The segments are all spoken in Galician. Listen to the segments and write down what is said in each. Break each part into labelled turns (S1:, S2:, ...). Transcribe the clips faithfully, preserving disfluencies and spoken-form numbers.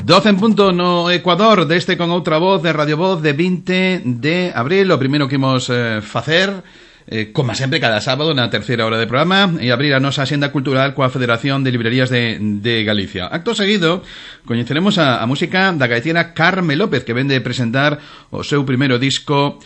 S1: doce en punto no Ecuador, deste con outra voz de Radio Voz de vinte de abril. O primeiro que imos eh, facer, eh, como sempre cada sábado na terceira hora de programa, e abrir a nosa axenda cultural coa Federación de Librerías de, de Galicia. Acto seguido, coñeceremos a, a música da gaitera Carme López, que vende presentar o seu primeiro disco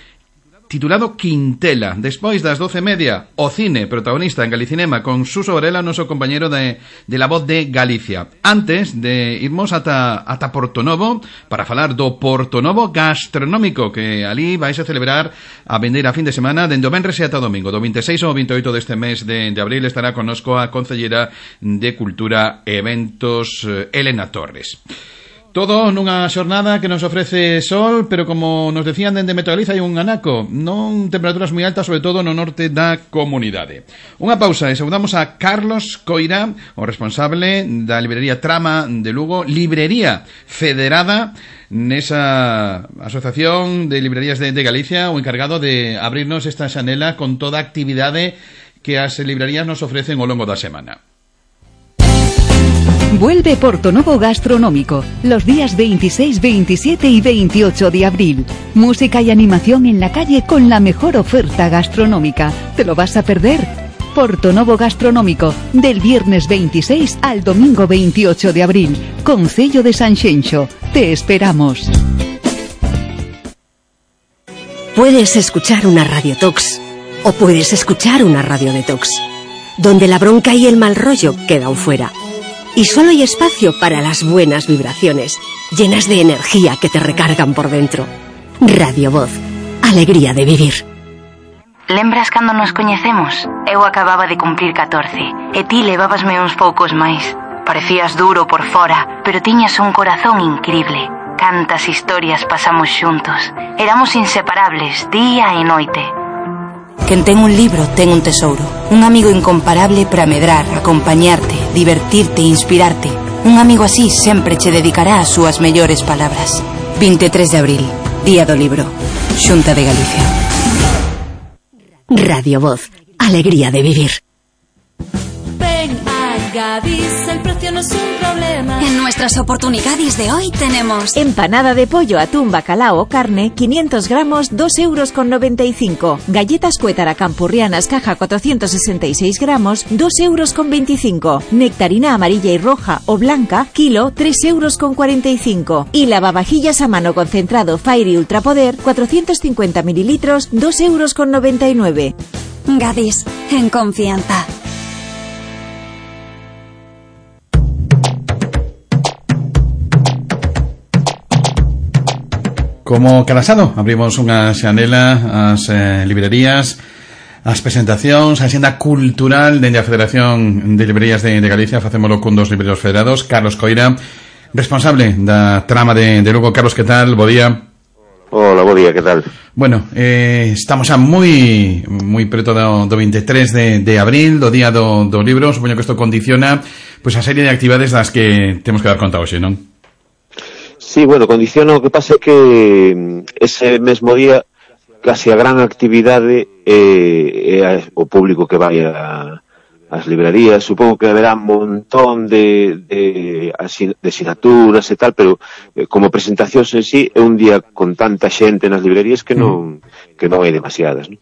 S1: titulado Quintela. Despois das doce e media, o cine, protagonista en Galicinema con Suso Varela, noso compañero de, de La Voz de Galicia. Antes de irmos ata, ata Portonovo para falar do Portonovo gastronómico, que ali vais a celebrar a vender a fin de semana dende o venres e ata o domingo. Do vinte e seis ao vinte e oito deste mes de, de abril estará connosco a Concellera de Cultura e Eventos, Elena Torres. Todo nunha xornada que nos ofrece sol, pero como nos decían dende Metagaliza hai un anaco, non temperaturas moi altas, sobre todo no norte da comunidade. Unha pausa e saudamos a Carlos Coira, o responsable da librería Trama de Lugo, librería federada nesa asociación de librerías de, de Galicia, o encargado de abrirnos esta xanela con toda a actividade que as librerías nos ofrecen ao longo da semana.
S2: Vuelve Portonovo Gastronómico, los días veintiséis, veintisiete y veintiocho de abril. Música y animación en la calle con la mejor oferta gastronómica. ¿Te lo vas a perder? Portonovo Gastronómico, del viernes veintiséis al domingo veintiocho de abril. Concello de Sanxenxo. Te esperamos.
S3: Puedes escuchar una Radio Tox o puedes escuchar una Radio Detox, donde la bronca y el mal rollo quedan fuera. Y solo hay espacio para las buenas vibraciones, llenas de energía que te recargan por dentro. Radio Voz, alegría de vivir.
S4: Lembras cando nos coñecemos? Eu acababa de cumplir catorce, e ti levabasme uns poucos máis. Parecías duro por fora, pero tiñas un corazón incrible. Cantas historias pasamos xuntos. Éramos inseparables, día e noite.
S5: Quen ten un libro ten un tesouro. Un amigo incomparable para medrar, acompañarte, divertirte e inspirarte. Un amigo así sempre che dedicará as súas mellores palabras. vinte e tres de abril, Día do Libro, Xunta de Galicia.
S3: Radio Voz, alegría de vivir.
S6: Ven a Gadis, el precio no es un problema.
S7: En nuestras oportunidades de hoy tenemos
S8: empanada de pollo, atún, bacalao o carne, quinientos gramos, dos euros con noventa y cinco. Galletas Cuétara Campurrianas, caja cuatrocientos sesenta y seis gramos, dos euros con veinticinco. Nectarina amarilla y roja o blanca, kilo, tres euros con cuarenta y cinco. Y lavavajillas a mano concentrado Fairy Ultrapoder, cuatrocientos cincuenta mililitros, dos euros con noventa y nueve.
S7: Gadis, en confianza.
S1: Como cada sábado abrimos unha xanela ás eh, librerías, as presentacións, a xenda cultural dende a Federación de Librerías de, de Galicia. Facémolo cun dos libreros federados, Carlos Coira, responsable da Trama de, de Lugo. Carlos, que tal? Bo día.
S9: Hola, bo día, que tal?
S1: Bueno, eh, estamos xa moi moi preto do, do vinte e tres de, de abril, do día do, do libro. Supoño que isto condiciona pois a serie de actividades das que temos que dar conta hoxe, non?
S9: Sí, bueno, condiciona, o que pasa é que ese mesmo día casi a gran actividade é, é o público que vai a, as librerías. Supongo que haberá un montón de, de, de asignaturas e tal, pero eh, como presentacións en sí é un día con tanta xente nas librerías que non, que non hai demasiadas, non?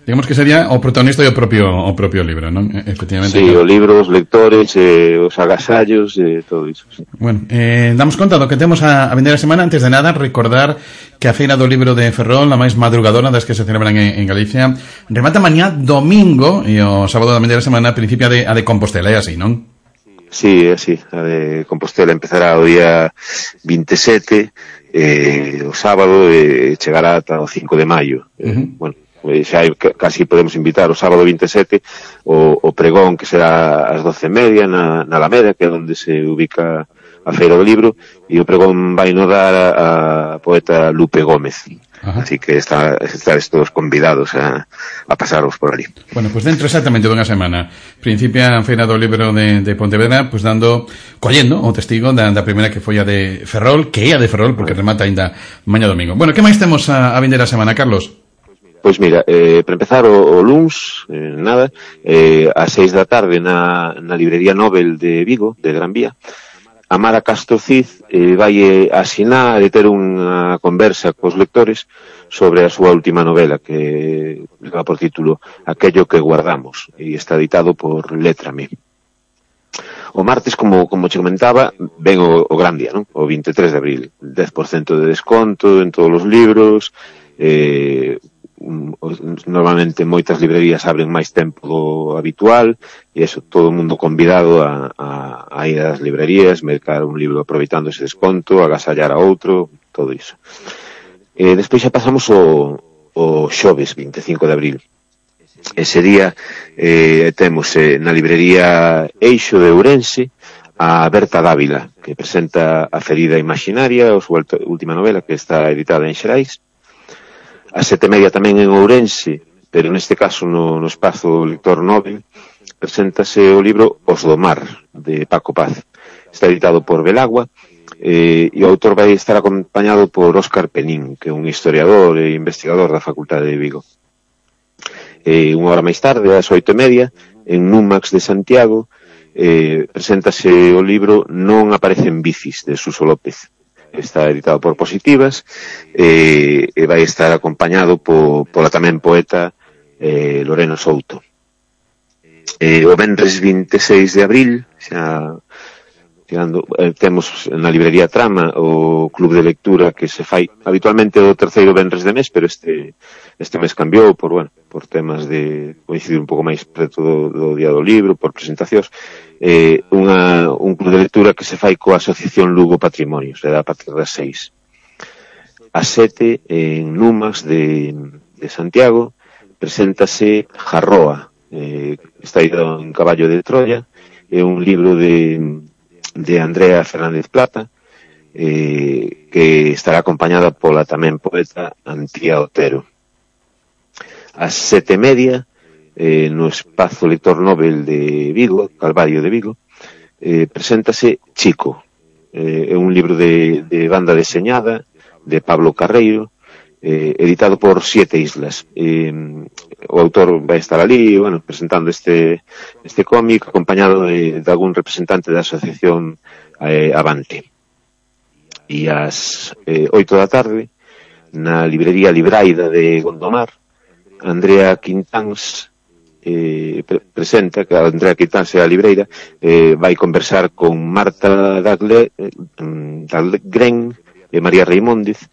S1: Digamos que sería o protagonista e o propio o propio libro, non? Efectivamente.
S9: Sí, claro. O libro, os lectores, eh, os agasallos, eh, todo iso. Sí.
S1: Bueno, eh, damos conta do que temos a, a vender a semana. Antes de nada, recordar que a Feira do Libro de Ferrol, a máis madrugadora das que se celebran en, en Galicia, remata mañá domingo e o sábado da vender a semana principia de, a de Compostela, é así, non?
S9: Sí, é así. A de Compostela empezará o día vinte e sete, eh, o sábado, e eh, chegará ata o cinco de maio. Eh, uh-huh. Bueno, xa casi podemos invitar o sábado vinte e sete o, o pregón, que será ás doce e media na, na Alameda, que é onde se ubica a Feira do Libro, e o pregón vai no dar a, a poeta Lupe Gómez. Ajá. Así que está, estáis todos convidados a, a pasaros por ali.
S1: Bueno, pues dentro exactamente dunha semana principia a Feira do Libro de, de Pontevedra, pues dando, collendo o testigo da, da primeira que foi a de Ferrol, que é a de Ferrol, porque remata ainda mañá domingo. Bueno, que máis temos a, a vender a semana, Carlos?
S9: Pois mira, eh, para empezar o, o luns, eh, nada, eh, a seis da tarde na, na librería Nobel de Vigo, de Gran Vía, Amara Castro Cid eh, vai asinar e ter unha conversa cos lectores sobre a súa última novela, que leva por título Aquello que guardamos, e está editado por Letrame. O martes, como, como che comentaba, ven o, o gran día, non? O vinte e tres de abril, dez por cento de desconto en todos os libros, eh, normalmente moitas librerías abren máis tempo do habitual, e eso, todo o mundo convidado a, a, a ir ás librerías, mercar un libro aproveitando ese desconto, agasallar a outro, todo iso. E despois xa pasamos o, o xoves vinte e cinco de abril. Ese día eh, temos eh, na librería Eixo de Ourense a Berta Dávila, que presenta A ferida imaginaria, a súa última novela, que está editada en Xerais. A sete e media tamén en Ourense, pero neste caso no, no espazo Lector Nobel, preséntase o libro Os do Mar, de Paco Paz. Está editado por Belagua, eh, e o autor vai estar acompañado por Óscar Penín, que é un historiador e investigador da Facultade de Vigo. Eh, unha hora máis tarde, ás oito e media, en Numax de Santiago, eh, preséntase o libro Non aparecen bicis, de Suso López. Está editado por Positivas, eh, e vai estar acompañado po, pola tamén poeta eh, Lorena Souto. Eh, o venres vinte e seis de abril, xa, tirando, eh, temos na librería Trama o club de lectura que se fai habitualmente o terceiro venres de mes, pero este este mes cambiou por, bueno, por temas de coincidir un pouco máis preto do, do día do libro, por presentacións. Eh, unha, un club de lectura que se fai coa Asociación Lugo Patrimonio, se dá a partir das seis. A sete, en Numax de, de Santiago, preséntase Jarroa, eh, está ido en Caballo de Troya, é un libro de, de Andrea Fernández Plata, eh, que estará acompañada pola tamén poeta Antía Otero. A sete e media, Eh, no espazo Lector Nobel de Vigo, Calvario de Vigo, eh, preséntase Chico, eh, é un libro de, de banda deseñada de Pablo Carreiro, eh, editado por Siete Islas. Eh, o autor vai estar ali, bueno, presentando este este cómic, acompañado de, de algún representante da asociación eh, Avante. E ás eh, oito da tarde, na librería Libraida de Gondomar, Andrea Quintáns Eh, pre presenta que a Andrea Quintáns a libreira eh, vai conversar con Marta Dagle, eh, Dahlgren e María Reimóndez,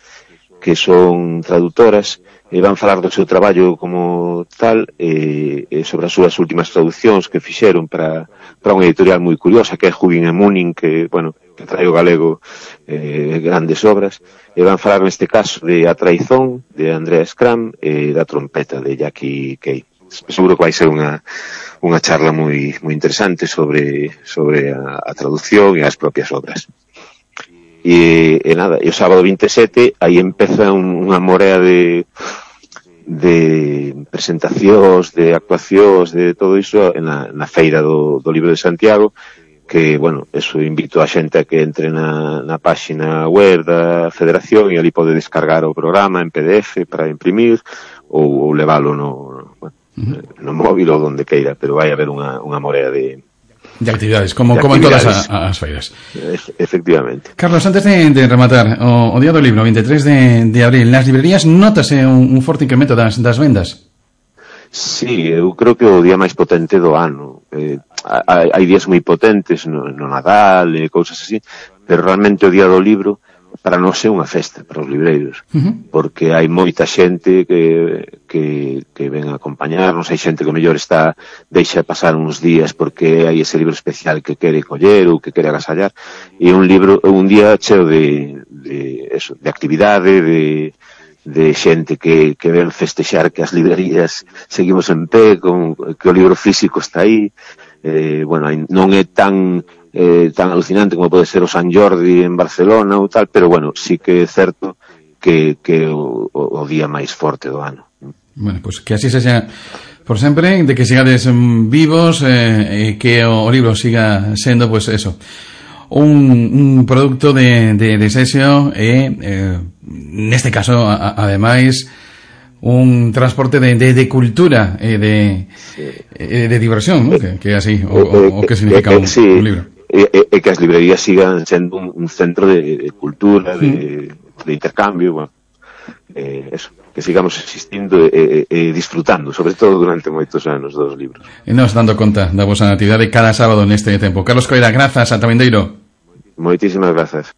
S9: que son traductoras, e van falar do seu traballo como tal, e eh, sobre as súas últimas traduccións que fixeron para, para unha editorial moi curiosa, que é Hugin e Munin, que, bueno, que trae o galego eh, grandes obras, e van falar neste caso de A Traizón, de Andrea Scram, e da Trompeta, de Jackie Kay. Seguro que vai ser unha, unha charla moi, moi interesante sobre, sobre a, a traducción e as propias obras. E, e nada, e o sábado vinte e sete aí empeza un, unha morea de, de presentacións, de actuacións, de todo iso na, na feira do, do Libro de Santiago, que, bueno, eso invito a xente a que entre na, na páxina web da Federación e ali pode descargar o programa en P D F para imprimir ou, ou leválo no, bueno, Uh-huh. no móvil ou donde queira, pero vai haber unha, unha morea de
S1: de actividades, como,
S9: de
S1: como
S9: actividades.
S1: en todas as, as feiras.
S9: E- efectivamente.
S1: Carlos, antes de, de rematar o, o día do libro, vinte e tres de, de abril, nas librerías notase un, un forte incremento das, das vendas?
S9: Sí, eu creo que o día máis potente do ano. Eh, hai, hai días moi potentes no, no Nadal e cousas así, pero realmente o día do libro para nós é unha festa para os libreiros, uh-huh. porque hai moita xente que, que, que ven a acompañarnos, hai xente que o mellor está deixa pasar uns días porque hai ese libro especial que quere coller ou que quere agasallar, e un libro, un día cheo de, de, eso, de actividade, de, de xente que, que ven festexar que as librerías seguimos en pé, con, que o libro físico está aí. Eh, bueno, non é tan eh, tan alucinante como pode ser o San Jordi en Barcelona ou tal, pero bueno, sí que é certo que, que o, o día máis forte do ano.
S1: Bueno, pues que así se sea por sempre, de que sigades vivos, eh, que o, o libro siga sendo, pues eso, un, un producto de, de, de sesio e, eh, neste caso, a, ademais, un transporte de, de, de cultura e de, sí. eh, de diversión, ¿no? Que, que así, o, o, o que significa un, sí. un libro.
S9: E, e que as librerías sigan sendo un, un centro de, de cultura, de, mm. de intercambio, bueno, eh, eso, que sigamos existindo e, e, e disfrutando, sobre todo durante moitos anos dos libros.
S1: E nos dando conta da vosa actividade cada sábado neste tempo. Carlos Coira, grazas, ata vindeiro.
S9: Moitísimas grazas.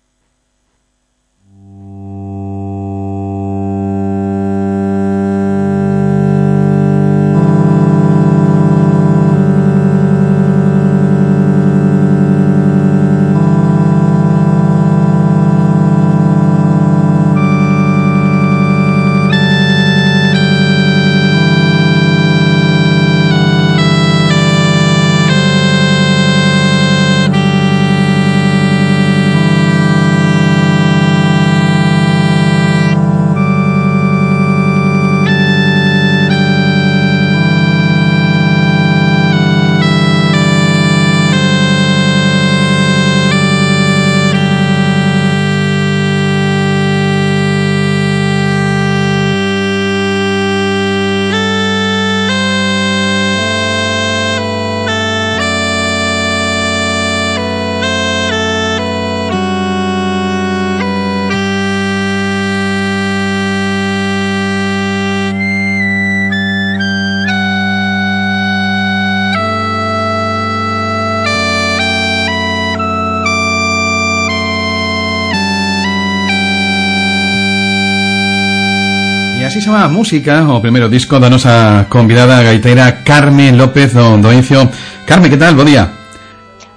S1: Así se chama Música, o primeiro disco da nosa convidada gaiteira Carme López do Doencio. Carme, que tal? Bo día.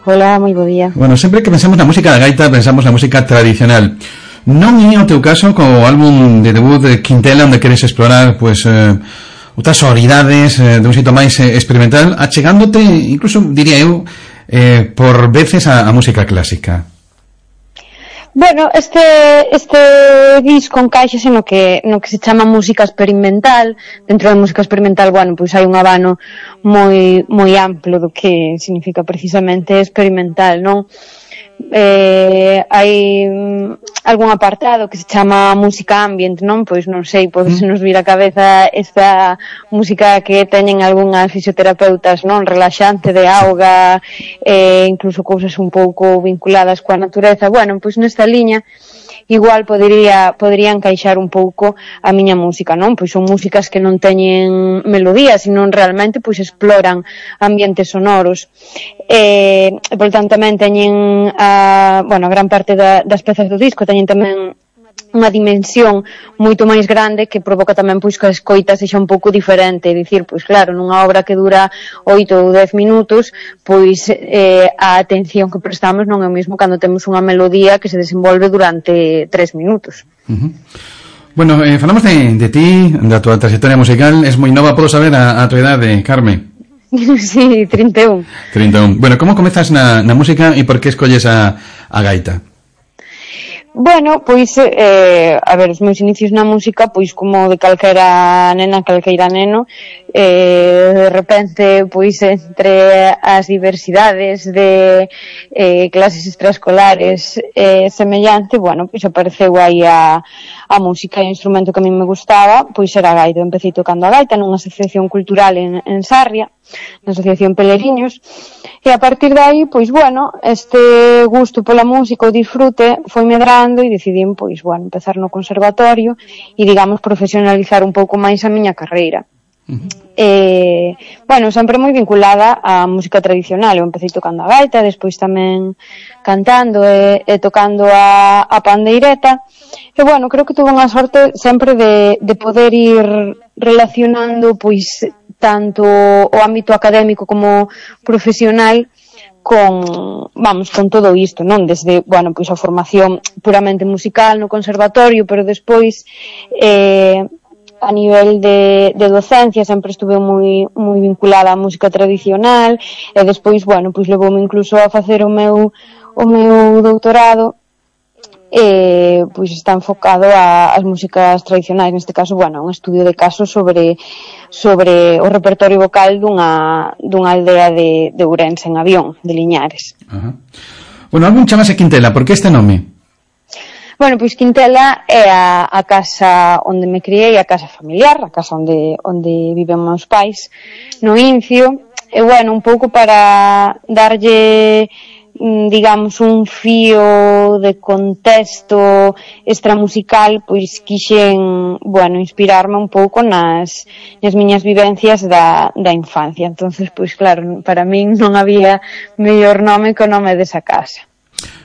S10: Hola, moi bo día.
S1: Bueno, sempre que pensamos na música da gaita, pensamos na música tradicional. Non é o teu caso co álbum de debut de Quintela, onde queres explorar, pues, eh, outras sonoridades eh, de un xeito máis eh, experimental, achegándote, incluso, diría eu, eh, por veces a, a música clásica.
S10: Bueno, este este disco encaixa no que no que se chama música experimental. Dentro da música experimental, bueno, pois hai un abano moi moi amplo do que significa precisamente experimental, non? Eh, hai algún apartado que se chama música ambient, non? Pois non sei, pode se nos vir a cabeza esta música que teñen algunhas fisioterapeutas, non? Relaxante, de auga, eh, incluso cousas un pouco vinculadas coa natureza. Bueno, pois nesta liña igual podería podería encaixar un pouco a miña música, non? Pois son músicas que non teñen melodía, sino realmente pois exploran ambientes sonoros. Eh, e por tanto tamén teñen a, bueno, a gran parte da, das pezas do disco teñen tamén unha dimensión moito máis grande que provoca tamén pois que a escoita sexa un pouco diferente, é dicir, pois claro, nunha obra que dura oito ou dez minutos, pois eh, a atención que prestamos non é o mesmo cando temos unha melodía que se desenvolve durante tres minutos.
S1: Uh-huh. Bueno, eh, falamos de, de ti, da tua trayectoria musical. Es moi nova, podo saber a, a tua idade, Carme?
S10: Sí, trinta e un.
S1: trinta e un. Bueno, como comezas na, na música e por que escolles a, a gaita?
S10: Bueno, pois, eh, a ver, os meus inicios na música, pois como de calquera nena, calqueira neno, eh, de repente, pois entre as diversidades de eh, clases extraescolares eh, semellante, bueno, pois apareceu aí a, a música e o instrumento que a mí me gustaba, pois era a gaita. Eu empecé tocando a gaita nunha asociación cultural en, en Sarria, na asociación Peleriños, e a partir de aí, pois bueno, este gusto pola música, o disfrute, foi medrando e decidín, pois bueno, empezar no conservatorio e, digamos, profesionalizar un pouco máis a miña carreira. Uh-huh. Eh, bueno, sempre moi vinculada á música tradicional. Eu empecé tocando a gaita, despois tamén cantando e, e tocando a, a pandeireta. E bueno, creo que tuve unha sorte sempre de, de poder ir relacionando, pois, tanto o ámbito académico como profesional con, vamos, con todo isto, non? Desde, bueno, pois a formación puramente musical no conservatorio, pero despois eh, a nivel de, de docencia sempre estuve moi moi vinculada á música tradicional e despois, bueno, pois levoume incluso a facer o meu o meu doutorado e pois está enfocado a, as músicas tradicionais, neste caso, bueno, un estudio de caso sobre sobre o repertorio vocal dunha dunha aldea de, de Ourense en Avión, de Liñares.
S1: Ajá. Bueno, algún chamase Quintela, por que este nome?
S10: Bueno, pois Quintela é a, a casa onde me criei, a casa familiar, a casa onde onde viven meus pais, no Incio, e bueno, un pouco para darlle, digamos, un fío de contexto extramusical, pois quixen, bueno, inspirarme un pouco nas, nas miñas vivencias da, da infancia. Entonces, pois claro, para min non había mellor nome que o nome desa casa.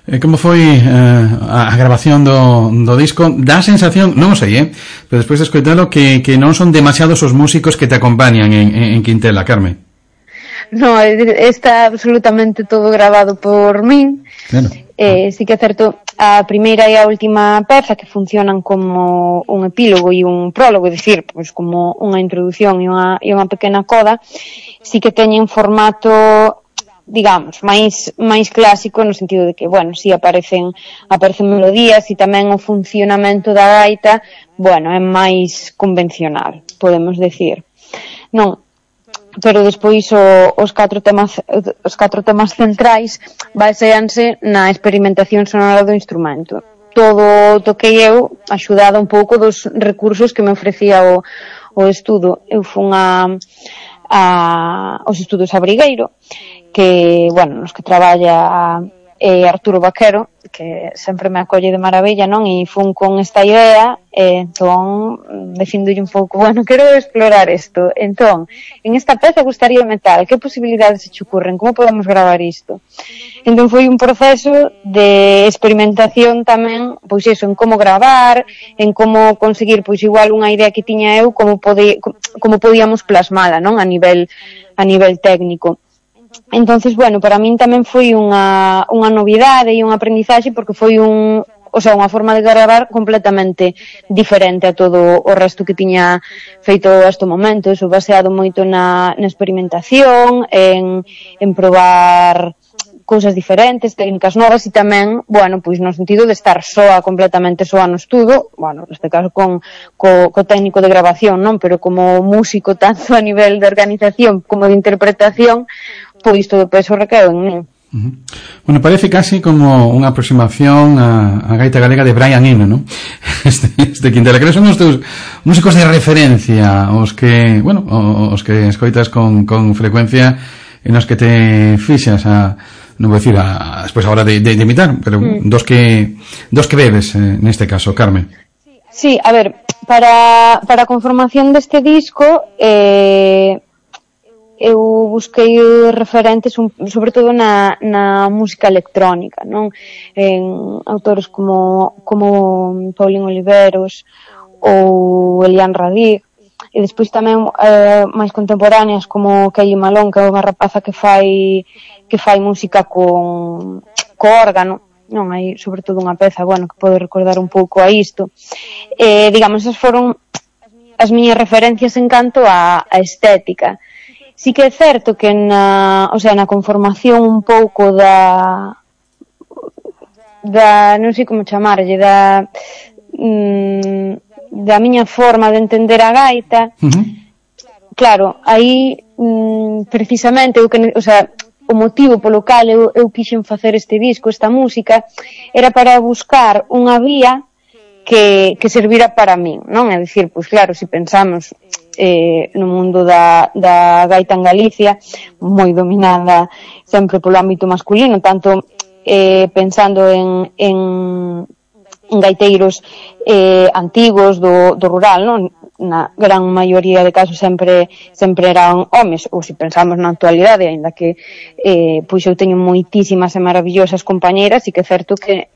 S1: E como foi eh, a grabación do, do disco? Dá a sensación, non o sei, eh, pero despois de escoitalo, que, que non son demasiados os músicos que te acompañan en, en Quintela, Carmen.
S10: No, está absolutamente todo grabado por min. Claro. Eh, sí que é certo, a primeira e a última peza que funcionan como un epílogo e un prólogo, é dicir, pois como unha introdución e unha, e unha pequena coda, sí que teñen formato, digamos, máis máis clásico, no sentido de que, bueno, si aparecen aparecen melodías e tamén o funcionamento da gaita, bueno, é máis convencional, podemos decir. Non, pero despois o, os catro temas os catro temas centrais baseanse na experimentación sonora do instrumento. Todo toquei eu, axudada un pouco dos recursos que me ofrecía o, o estudo. Eu fun a, a os estudos Abrigueiro, que, bueno, nos que traballa eh, Arturo Vaquero, que sempre me acolle de maravilla, non? E fun con esta idea, e entón, dicindolle un pouco, bueno, quero explorar isto. Entón, en esta peza gustaría metal, que posibilidades se che ocurren? Como podemos gravar isto? Entón foi un proceso de experimentación tamén, pois iso, en como gravar, en como conseguir, pois igual unha idea que tiña eu, como, pode, como podíamos plasmala, non? A nivel, a nivel técnico. Entonces, bueno, para min tamén foi unha, unha novidade e un aprendizaxe, porque foi un, o sea, unha forma de gravar completamente diferente a todo o resto que tiña feito hasta o momento. Eso baseado moito na, na experimentación, en, en probar cousas diferentes, técnicas novas, e tamén, bueno, pois no sentido de estar soa, completamente soa no estudo, bueno, neste caso con co, co técnico de grabación, non? Pero como músico, tanto a nivel de organización como de interpretación, pois todo o peso recaeu en mí.
S1: Uh-huh. Bueno, parece casi como unha aproximación a, a gaita galega de Brian Eno, ¿no? Este, este Quintela, que son os teus músicos de referencia, os que, bueno, os que escoitas con, con frecuencia, en os que te fixas a, non vou dicir a, despois a hora de, de, de imitar, pero mm. dos que dos que bebes, eh, neste caso, Carmen.
S10: Sí, a ver, para, para a conformación deste disco, eh, eu busquei referentes un, sobre todo na, na música electrónica, non? En autores como, como Paulín Oliveros ou Elian Radí, e despois tamén eh, máis contemporáneas como Kelly Malone, que é unha rapaza que fai que fai música con co órgano, non? Hai sobre todo unha peza, bueno, que pode recordar un pouco a isto. Eh, digamos, esas foron as miñas referencias en canto a, a estética. Sí que é certo que na, o sea, na conformación un pouco da da, non sei como chamarlle, da mm, da miña forma de entender a gaita. Uh-huh. Claro, aí mm, precisamente eu que, o sea, o motivo polo cal eu, eu quixen facer este disco, esta música, era para buscar unha vía que, que servira para min, non? É dicir, pois claro, se pensamos eh, no mundo da, da gaita en Galicia, moi dominada sempre polo ámbito masculino, tanto eh, pensando en, en, en gaiteiros eh, antigos do, do rural, non? Na gran maioría de casos sempre sempre eran homes, ou se pensamos na actualidade, aínda que eh, pois eu teño moitísimas e maravillosas compañeiras, e que é certo que,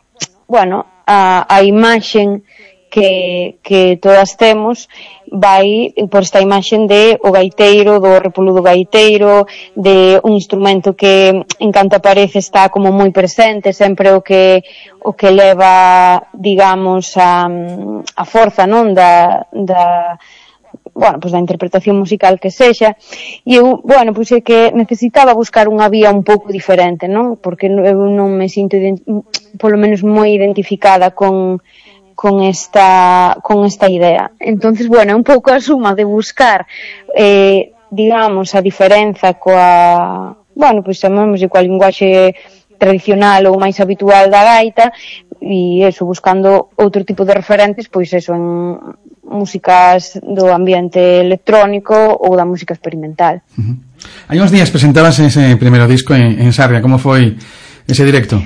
S10: bueno, a, a imaxen que, que todas temos vai por esta imaxen de o gaiteiro, do repoludo gaiteiro, de un instrumento que en canto aparece está como moi presente, sempre o que o que leva, digamos, a, a forza, non, da, da bueno, pois da interpretación musical que sexa, e eu, bueno, pois é que necesitaba buscar unha vía un pouco diferente, non? Porque eu non me sinto polo menos moi identificada con con esta con esta idea. Entonces, bueno, é un pouco a suma de buscar eh, digamos, a diferenza coa, bueno, pois chamamos coa linguaxe tradicional ou máis habitual da gaita, e eso, buscando outro tipo de referentes, pois eso, en músicas do ambiente electrónico ou da música experimental.
S1: Uh-huh. Hai uns días presentabas ese primeiro disco en, en Sarria. Como foi ese directo?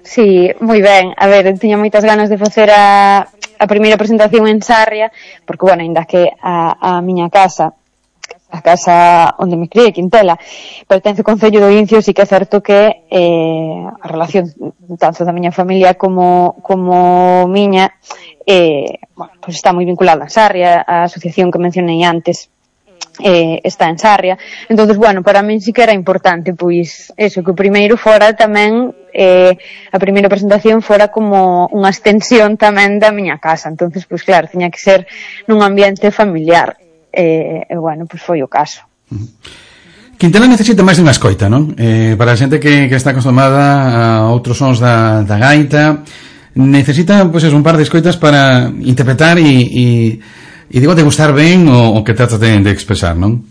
S10: Sí, moi ben. A ver, eu tiña moitas ganas de facer a, a primeira presentación en Sarria, porque, bueno, ainda que a, a miña casa, a casa onde me criei, Quintela, pertence ao Concello do Incio, sí que é certo que eh, a relación tanto da miña familia como, como miña eh, bueno, pues está moi vinculada a Sarria, a asociación que mencionei antes eh, está en Sarria. Entonces, bueno, para min sí que era importante, pois, eso, que o primeiro fora tamén eh, a primeira presentación fora como unha extensión tamén da miña casa. Entonces, pois claro, tiña que ser nun ambiente familiar. E, eh, bueno, pois foi o caso.
S1: Quintela necesita máis dunha escoita, non? Eh, para a xente que, que está acostumada a outros sons da, da gaita, necesita, pois, pues, un par de escoitas para interpretar e, e, e digo, degustar ben o, o que trata de, de expresar, non?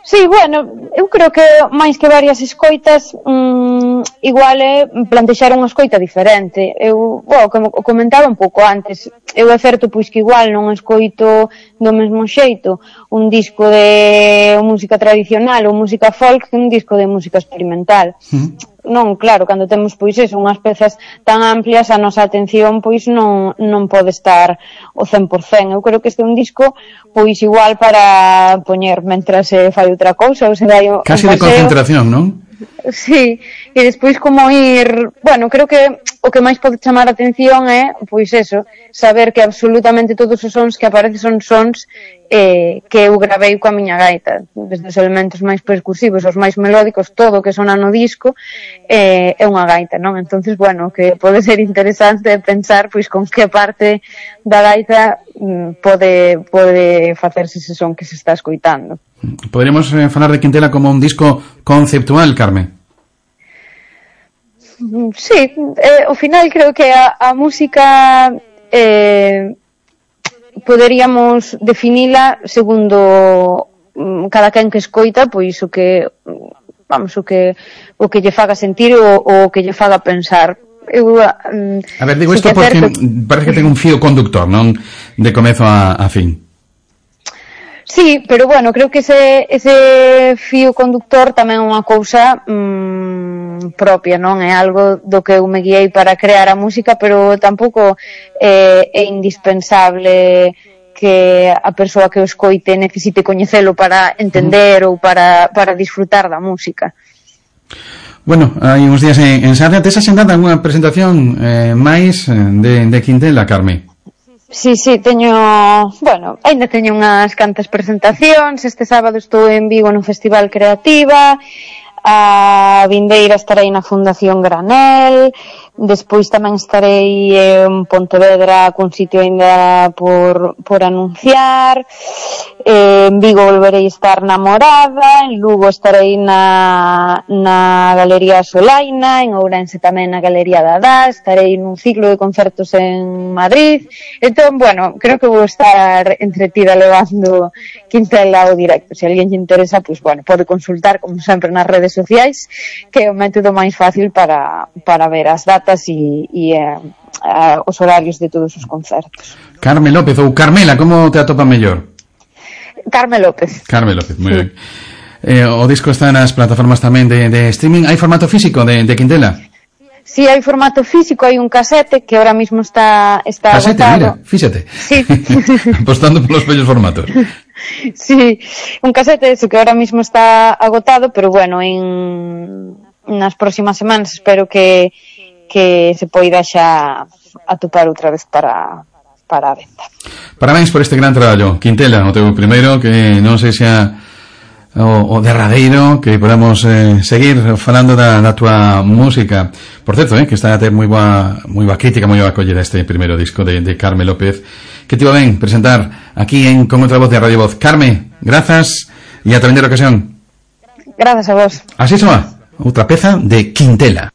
S10: Sí, bueno, eu creo que máis que varias escoitas, mmm, igual é plantexar unha escoita diferente. Eu, bueno, como comentaba un pouco antes, eu é certo pois que igual non escoito do mesmo xeito un disco de música tradicional ou música folk que un disco de música experimental. Mm. Non, claro, cando temos pois eso, unhas pezas tan amplias, a nosa atención pois non non pode estar o cen por cen. Eu creo que este é un disco pois igual para poñer mentras se fai outra cousa, ou se vai o
S1: casi de concentración, non?
S10: Sí, e despois como ir, bueno, creo que o que máis pode chamar a atención é, pois eso, saber que absolutamente todos os sons que aparecen son sons eh, que eu gravei coa miña gaita, desde os elementos máis percusivos, os máis melódicos, todo o que sona no disco eh, é unha gaita, non? Entonces, bueno, que pode ser interesante pensar pois con que parte da gaita mm, pode, pode facerse ese son que se está escoitando.
S1: Poderíamos eh, falar de Quintela como un disco conceptual, Carmen?
S10: Sí, eh, ao final creo que a, a música eh, poderíamos definila segundo um, cada quen que escoita, pois o que vamos, o que o que lle faga sentir ou o que lle faga pensar. Eu, um,
S1: a ver, digo isto porque certo... parece que ten un fío conductor, non? De comezo a, a fin.
S10: Sí, pero bueno, creo que ese, ese fío conductor tamén é unha cousa mmm, propia, non? É algo do que eu me guiei para crear a música, pero tampouco é, é indispensable que a persoa que o escoite necesite coñecelo para entender ou para, para disfrutar da música.
S1: Bueno, hai uns días en, en Sarria. Tes axendada unha presentación eh, máis de, de Quintela, Carmen?
S10: Sí, sí, teño, bueno, ainda teño unhas cantas presentacións. Este sábado estou en Vigo no Festival Creativa, a vindeira estarei na Fundación Granel, despois tamén estarei en Pontevedra cun sitio ainda por, por anunciar, en Vigo volverei estar na Morada, en Lugo estarei na, na Galería Solaina, en Ourense tamén na Galería Dadá, estarei nun ciclo de concertos en Madrid. Entón, bueno, creo que vou estar entretida levando Quintela ao directo. Se alguén lle interesa, pois, bueno, pode consultar, como sempre, nas redes sociais, que é o método máis fácil para, para ver as datas e, e eh, os horarios de todos os concertos.
S1: Carmen López ou Carmela, como te atopa mellor?
S10: Carmen López.
S1: Carmen López, moi sí. Ben. Eh, o disco está nas plataformas tamén de, de streaming. Hai formato físico de, de Quintela?
S10: Sí, hai formato físico, hai un casete que ahora mismo está, está
S1: casete,
S10: agotado.
S1: Mira, fíxate.
S10: Sí.
S1: Apostando polos bellos formatos.
S10: Sí, un casete ese que ahora mismo está agotado, pero bueno, en nas próximas semanas espero que que se poida xa atopar outra vez para para a venta.
S1: Parabéns por este gran traballo, Quintela, o teu primeiro, que non sei xa o, o derradeiro, que podamos eh, seguir falando da, da tua música. Por certo, eh, que está a ter moi boa, moi boa crítica, moi boa acollida este primeiro disco de, de Carmen López, que te iba ben presentar aquí en Con Outra Voz de Radio Voz. Carme, grazas e ata vender ocasión.
S10: Grazas a vos.
S1: Así soa, outra peza de Quintela.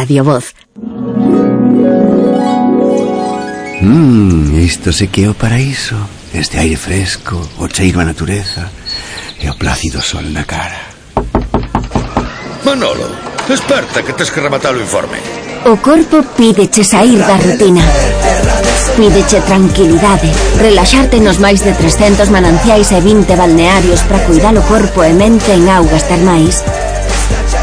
S3: Radio Voz.
S11: Mmm, isto se que é o paraíso. Este aire fresco, o cheiro a natureza e o plácido sol na cara.
S12: Manolo, desperta que tes que rematar o informe.
S3: O corpo pídeche sair da rutina. Pídeche tranquilidade, relaxarte nos máis de trescentos mananciais e vinte balnearios para cuidar o corpo e mente en augas termais.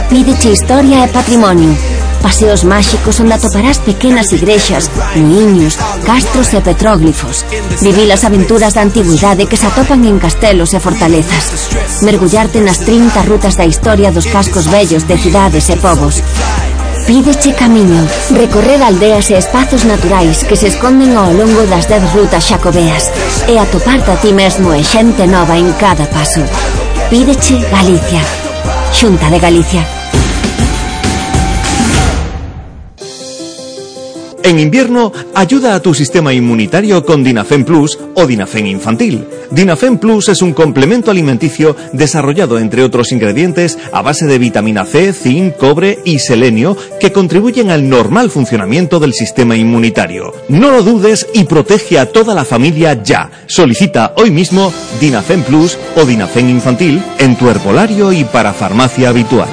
S3: Pídeche historia e patrimonio, paseos máxicos onde atoparás pequenas igrexas, muiños, castros e petróglifos. Vivir as aventuras da antigüidade que se atopan en castelos e fortalezas. Mergullarte nas trinta rutas da historia dos cascos vellos de cidades e povos. Pídeche camiño, recorrer aldeas e espazos naturais que se esconden ao longo das dez rutas xacobeas e atoparte a ti mesmo e xente nova en cada paso. Pídeche Galicia. Xunta de Galicia.
S13: En invierno, ayuda a tu sistema inmunitario con Dinafen Plus o Dinafen Infantil. Dinafen Plus es un complemento alimenticio desarrollado, entre otros ingredientes, a base de vitamina C, zinc, cobre y selenio que contribuyen al normal funcionamiento del sistema inmunitario. No lo dudes y protege a toda la familia ya. Solicita hoy mismo Dinafen Plus o Dinafen Infantil en tu herbolario y para farmacia habitual.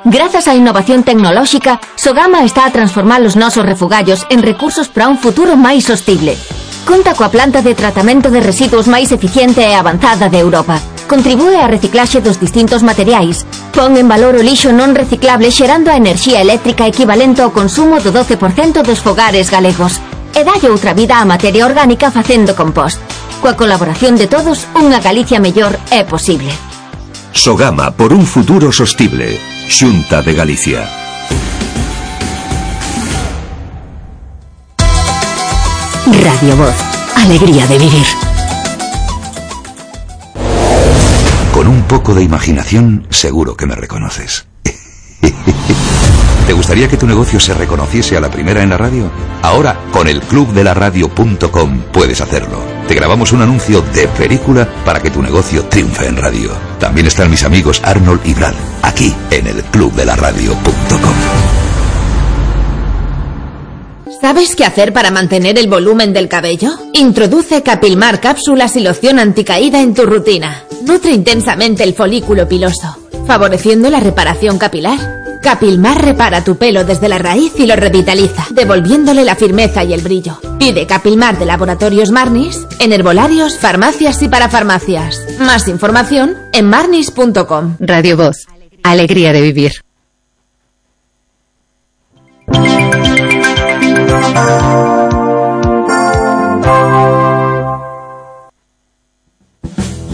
S3: Grazas á innovación tecnolóxica, Sogama está a transformar os nosos refugallos en recursos para un futuro máis sostible. Conta coa planta de tratamento de residuos máis eficiente e avanzada de Europa. Contribúe á reciclaxe dos distintos materiais. Pon en valor o lixo non reciclable xerando a enerxía eléctrica equivalente ao consumo do doce por cento dos fogares galegos. E dalle outra vida á materia orgánica facendo compost. Coa colaboración de todos, unha Galicia mellor é posible.
S14: Sogama por un futuro sostible. Xunta de Galicia.
S3: Radio Voz. Alegría de vivir.
S14: Con un poco de imaginación, seguro que me reconoces. ¿Te gustaría que tu negocio se reconociese a la primera en la radio? Ahora, con el club de la radio punto com puedes hacerlo. Te grabamos un anuncio de película para que tu negocio triunfe en radio. También están mis amigos Arnold y Brad, aquí en el club de la radio punto com.
S8: ¿Sabes qué hacer para mantener el volumen del cabello? Introduce Capilmar cápsulas y loción anticaída en tu rutina. Nutre intensamente el folículo piloso, favoreciendo la reparación capilar. Capilmar repara tu pelo desde la raíz y lo revitaliza, devolviéndole la firmeza y el brillo. Pide Capilmar de Laboratorios Marnis en herbolarios, farmacias y parafarmacias. Más información en marnis punto com.
S2: Radio Voz. Alegría de vivir.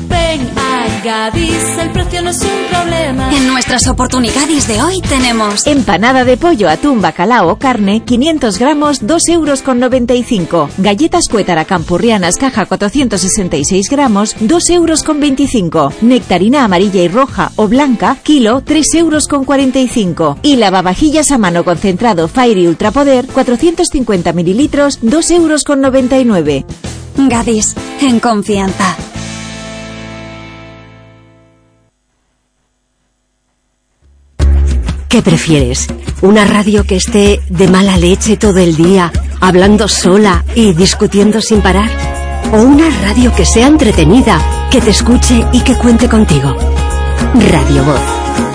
S6: Ven a Gadis, el precio no es un problema.
S7: En nuestras oportunidades de hoy tenemos
S8: empanada de pollo, atún, bacalao o carne, quinientos gramos, dos euros con noventa y cinco. Galletas Cuétara campurrianas, caja cuatrocientos sesenta y seis gramos, dos euros con veinticinco. Nectarina amarilla y roja o blanca, kilo, tres euros con cuarenta y cinco. Y lavavajillas a mano concentrado Fairy Ultrapoder, cuatrocientos cincuenta mililitros, dos euros con noventa y nueve.
S7: Gadis, en confianza.
S3: ¿Qué prefieres? ¿Una radio que esté de mala leche todo el día, hablando sola y discutiendo sin parar? ¿O una radio que sea entretenida, que te escuche y que cuente contigo? Radio Voz.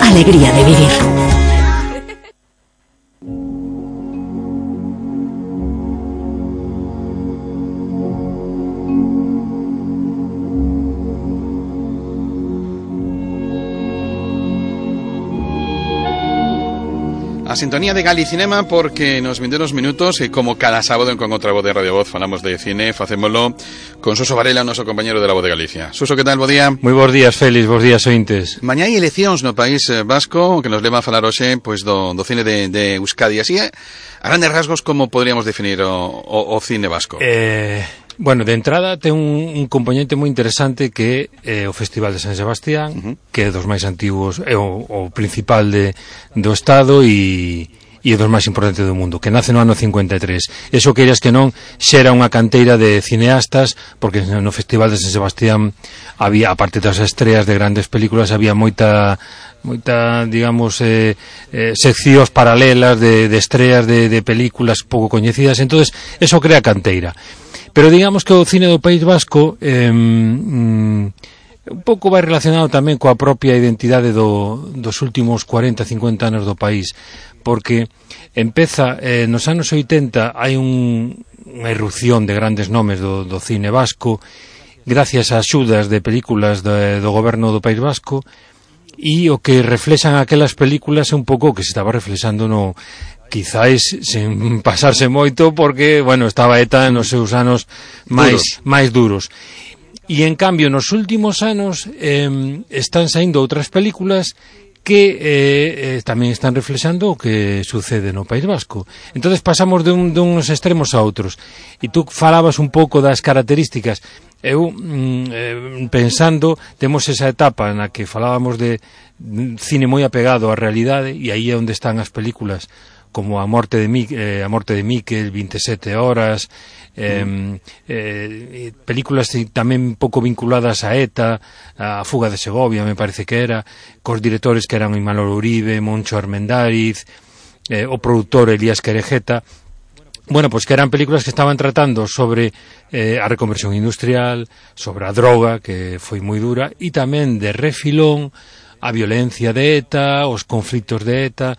S3: Alegría de vivir.
S1: A sintonía de Galicinema, porque nos vindeiros minutos e como cada sábado en Con Outra Voz de Radio Voz falamos de cine, facémolo con Suso Varela, noso compañero de la Voz de Galicia. Suso, que tal? Bo día.
S15: Moi bons días, Félix, bons días, ointes.
S1: Mañá hai eleccións no País Vasco que nos leva a falar hoxe pois, do, do cine de, de Euskadi. Así, eh, a grandes rasgos, como podríamos definir o, o, o cine vasco?
S15: Eh... Bueno, de entrada ten un, un componente moi interesante que é eh, o Festival de San Sebastián, uh-huh. que é dos máis antigos, é o, o principal de, do Estado e, e é dos máis importantes do mundo, que nace no ano cincuenta e tres. Eso, queiras que non, xera unha canteira de cineastas, porque no Festival de San Sebastián había, aparte das estreas de grandes películas, había moita moita, digamos, eh, eh, seccións paralelas de, de estreas de, de películas pouco coñecidas, entonces eso crea canteira. Pero digamos que o cine do País Vasco eh, mm, un pouco vai relacionado tamén coa propia identidade do, dos últimos cuarenta, cincuenta anos do país, porque empeza, eh, nos anos oitenta hai un, unha irrupción de grandes nomes do, do cine vasco, gracias a axudas de películas do, do goberno do País Vasco, e o que reflexan aquelas películas é un pouco o que se estaba reflexando no... quizáis sen pasarse moito porque, bueno, estaba ETA nos seus anos máis, máis duros. E en cambio nos últimos anos eh, están saindo outras películas que eh, eh, tamén están reflexando o que sucede no País Vasco. Entonces pasamos de, un, de uns extremos a outros. E tú falabas un pouco das características. Eu, mm, eh, pensando, temos esa etapa na que falábamos de cine moi apegado á realidade, e aí é onde están as películas como A morte de, Mi, eh, a morte de Miquel, veintisiete horas, eh, mm. eh, películas tamén pouco vinculadas a ETA, a Fuga de Segovia, me parece que era, cos directores que eran Imanol Uribe, Moncho Armendáriz, eh, o produtor Elías Querejeta. Bueno, pues que eran películas que estaban tratando sobre eh, a reconversión industrial, sobre a droga, que foi moi dura, e tamén de refilón a violencia de ETA, os conflitos de ETA.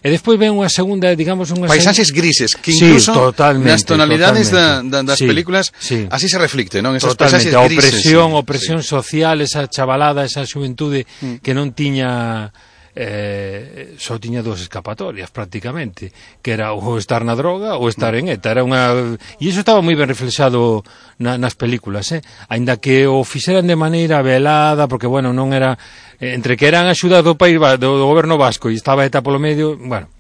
S15: E despois ven unha segunda, digamos, unha
S1: paisaxes grises, que incluso
S15: sí,
S1: nas tonalidades da, da, das sí, películas sí. así se reflicte, non? Esas
S15: totalmente,
S1: paisaxes
S15: a
S1: grises.
S15: Opresión, sí. opresión sí. social, esa chavalada, esa xuventude mm. que non tiña eh, só tiña dos escapatorias prácticamente, que era ou estar na droga ou estar en ETA, era unha e iso estaba moi ben reflexado na, nas películas, eh? Aínda que o fixeran de maneira velada, porque bueno, non era entre que eran axudas do país do, do goberno vasco e estaba ETA polo medio, bueno,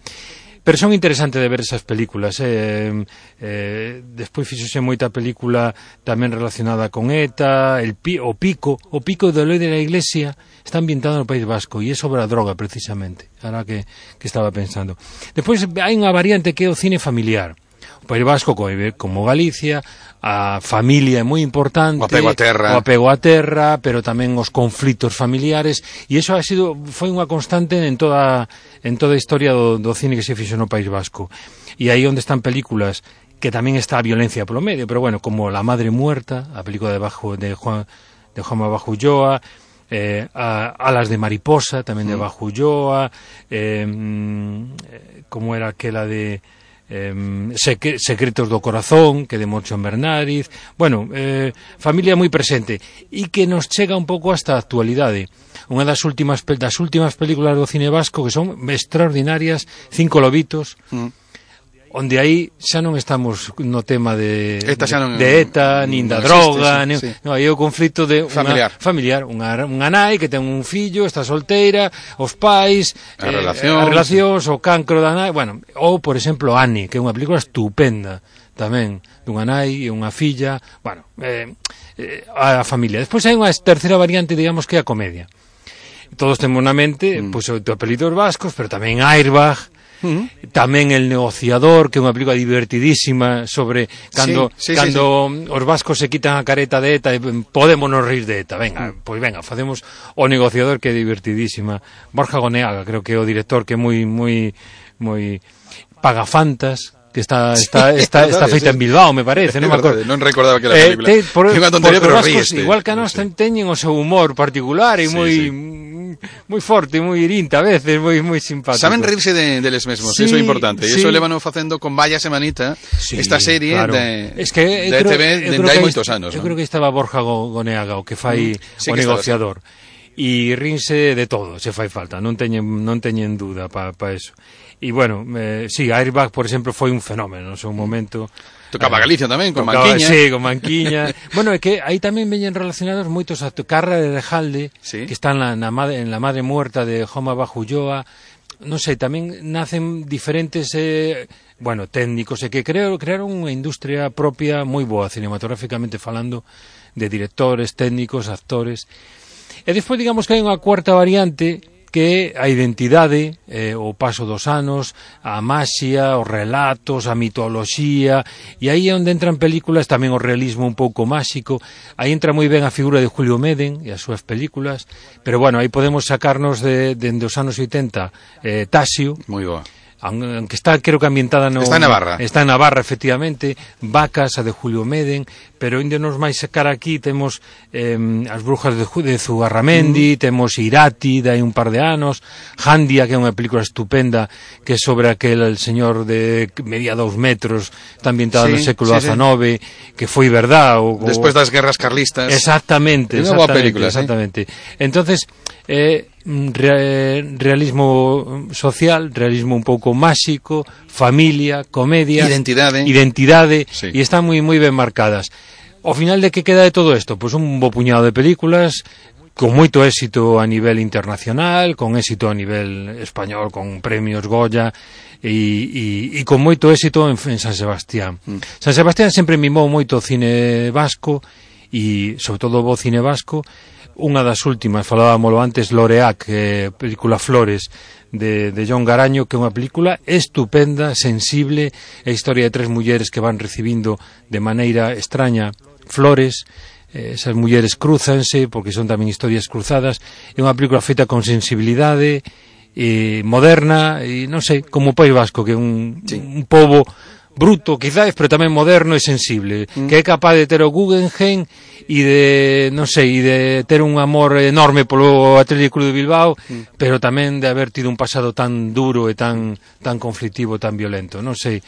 S15: pero son interesantes de ver esas películas, eh, eh, despois fixose moita película tamén relacionada con ETA, el pi, o Pico, o Pico de Eloi de la Iglesia está ambientado no País Vasco e é sobre a droga precisamente, ahora que, que estaba pensando. Despois hai unha variante que é o cine familiar. O País Vasco, como Galicia, a familia é moi importante,
S1: o apego a terra,
S15: o apego a terra, pero tamén os conflitos familiares, e iso ha sido foi unha constante en toda en toda a historia do, do cine que se fixo no País Vasco. E aí onde están películas que tamén está a violencia polo medio, pero bueno, como La Madre Muerta, a película de Bajo de Juan de Juanma Bajo Ulloa, eh, a, Alas de Mariposa, tamén de Bajo Ulloa, eh, como era aquela de Eh, secre Secretos do Corazón, que de Moncho Bernáriz, bueno, eh, familia moi presente e que nos chega un pouco hasta a actualidade. Unha das últimas das últimas películas do cine vasco que son extraordinarias, Cinco lobitos, mm. onde aí xa non estamos no tema de ETA, non, de ETA nin da droga, existe, sí, nin, sí. No, aí é o conflito de
S1: familiar,
S15: unha, familiar unha, unha nai que ten un fillo, está solteira, os pais,
S1: a
S15: eh,
S1: relacións,
S15: a relacións, o cancro da nai, bueno, ou por exemplo Annie, que é unha película estupenda tamén, dunha nai e unha filla, bueno, eh, eh, a familia. Despois hai unha terceira variante, digamos, que é a comedia. Todos temos na mente, mm. pois, pues, apelidos vascos, pero tamén Airbag, Uh-huh. tamén El negociador, que é unha película divertidísima sobre cando, sí, sí, cando sí, sí. os vascos se quitan a careta de ETA e podemos nos rir de ETA, venga, uh-huh. pois venga, facemos O negociador, que é divertidísima. Borja Goneaga, creo que é o director, que é moi moi moi Pagafantas, que está está
S1: sí,
S15: está, está feita sí. en Bilbao, me parece, non me acordo.
S1: Non recordaba que era a película. Eh, te, por, unha tontería, pero ríeste.
S15: Igual que a nós sí. teñen o seu humor particular e sí, moi sí. moi forte, moi irinta a veces, moi moi simpático.
S1: Saben rirse de, de les mesmos, sí, eso é importante. E sí. iso levan facendo con Vaya Semanita, sí, esta serie claro. de,
S15: es que,
S1: de creo, E T V dende hai moitos anos.
S15: Eu ¿no? creo que estaba Borja Goneaga, o que fai mm, sí, O que negociador. E rinse de todo, se fai falta, non teñen non teñen duda para pa eso. E bueno, eh, sí, Airbag, por exemplo, foi un fenómeno no seu momento.
S1: Tocaba
S15: eh,
S1: Galicia tamén, con
S15: tocaba,
S1: Manquiña.
S15: Sí, con Manquiña. Bueno, é que aí tamén veñen relacionados moitos actos. Carra de Rejalde, ¿sí? que está na, na, en La Madre Muerta de Joma Bajo Ulloa. Non sei, tamén nacen diferentes, eh, bueno, técnicos, e que creo, crearon unha industria propia moi boa, cinematográficamente falando, de directores, técnicos, actores. E despois, digamos que hai unha cuarta variante, que a identidade, eh, o paso dos anos, a maxia, os relatos, a mitoloxía, e aí é onde entran películas, tamén o realismo un pouco máxico, aí entra moi ben a figura de Julio Meden e as súas películas, pero bueno, aí podemos sacarnos de, de, de os anos oitenta, eh, Tasio,
S1: moi boa,
S15: aunque está, creo que ambientada no...
S1: Está en Navarra.
S15: Está en Navarra, efectivamente, Vacas, a de Julio Meden, pero onde nos máis sacar aquí temos eh, As brujas de, de Zugarramendi, mm. temos Irati, de hai un par de anos, Jandia, que é unha película estupenda, que é sobre aquel el señor de media dous metros, está ambientada sí, no século diecinueve, sí, sí. que foi verdad. O, o...
S1: Despois das guerras carlistas.
S15: Exactamente,
S1: exactamente, boa película,
S15: exactamente. ¿Sí? Entonces, eh, Re, realismo social, realismo un pouco máxico, familia, comedia,
S1: identidade,
S15: identidade sí. e están moi moi ben marcadas. Ao final, de que queda de todo isto? Pois pues un bo puñado de películas con moito éxito a nivel internacional, con éxito a nivel español, con premios Goya, e, e, e con moito éxito en, en San Sebastián. Mm. San Sebastián sempre mimou moito o cine vasco, e sobre todo o cine vasco. Unha das últimas, falábamoslo antes, Loreac, eh, película Flores, de, de John Garaño, que é unha película estupenda, sensible, a historia de tres mulleres que van recibindo de maneira extraña flores. Esas mulleres cruzanse porque son tamén historias cruzadas. É unha película feita con sensibilidade, eh, moderna, e non sei, como o País Vasco, que é un, sí. un pobo bruto, quizás, pero tamén moderno e sensible, mm. que é capaz de ter o Guggenheim e de, non sei, e de ter un amor enorme polo Atlético Club de Bilbao, mm. pero tamén de haber tido un pasado tan duro e tan, tan conflictivo, tan violento, non sei.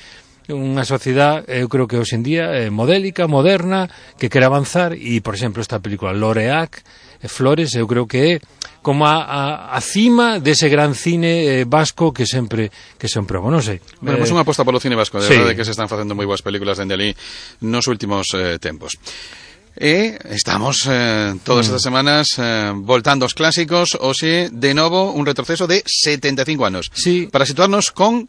S15: Unha sociedade, eu creo que hoxe en día é modélica, moderna, que quere avanzar, e, por exemplo, esta película Loreac, Flores, eu creo que é como a, a, a cima dese gran cine eh, vasco que sempre que sempre probo, non sei.
S1: Bueno, eh, pues unha aposta polo cine vasco, de sí. verdade que se están facendo moi boas películas dende ali nos últimos eh, tempos. E estamos eh, todas mm. estas semanas eh, voltando aos clásicos, hoxe, de novo, un retroceso de setenta e cinco anos.
S15: Sí.
S1: Para situarnos con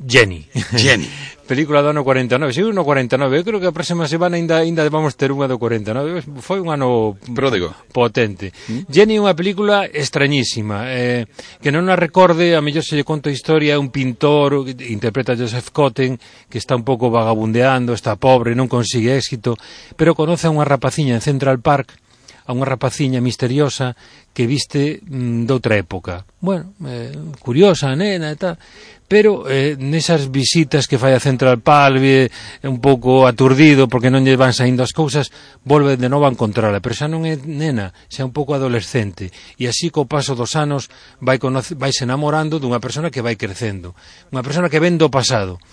S15: Jenny.
S1: Jenny.
S15: Película do ano cuarenta e nove. Si, no cuarenta e nove. Eu creo que a próxima semana ainda ainda vamos ter unha do cuarenta e nove. Foi un ano
S1: pródigo,
S15: potente. ¿Mm? Jenny é unha película extrañísima, eh, que non a recorde, a mellor se lle conto a historia, un pintor, interpreta a Joseph Cotten, que está un pouco vagabundeando, está pobre, non consigue éxito, pero conoce a unha rapaciña en Central Park, a unha rapaciña misteriosa que viste mm, doutra época. Bueno, eh, curiosa, nena e tal, pero eh, nesas visitas que fai a Central Park, eh, un pouco aturdido porque non lle van saindo as cousas, volve de novo a encontrala, pero xa non é nena, xa é un pouco adolescente, e así co paso dos anos vai, vai se enamorando dunha persona que vai crecendo, unha persona que ven do pasado.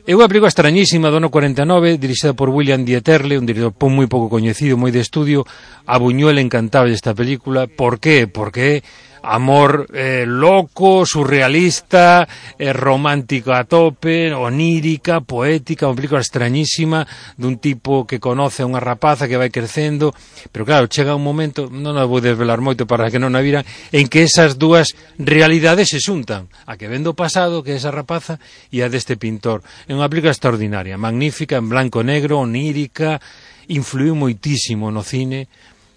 S15: É unha película extrañísima do ano cuarenta e nove, dirixida por William Dieterle, un director moi pouco coñecido, moi de estudio. A Buñuel encantaba esta película. Por qué? Porque amor eh, loco, surrealista, eh, romántico a tope, onírica, poética, unha película extrañísima dun tipo que conoce a unha rapaza que vai crecendo, pero claro, chega un momento, non a vou desvelar moito para que non a viran, en que esas dúas realidades se xuntan, a que ven do pasado, que é esa rapaza, e a deste pintor. É unha película extraordinaria, magnífica, en blanco e negro, onírica, influiu moitísimo no cine.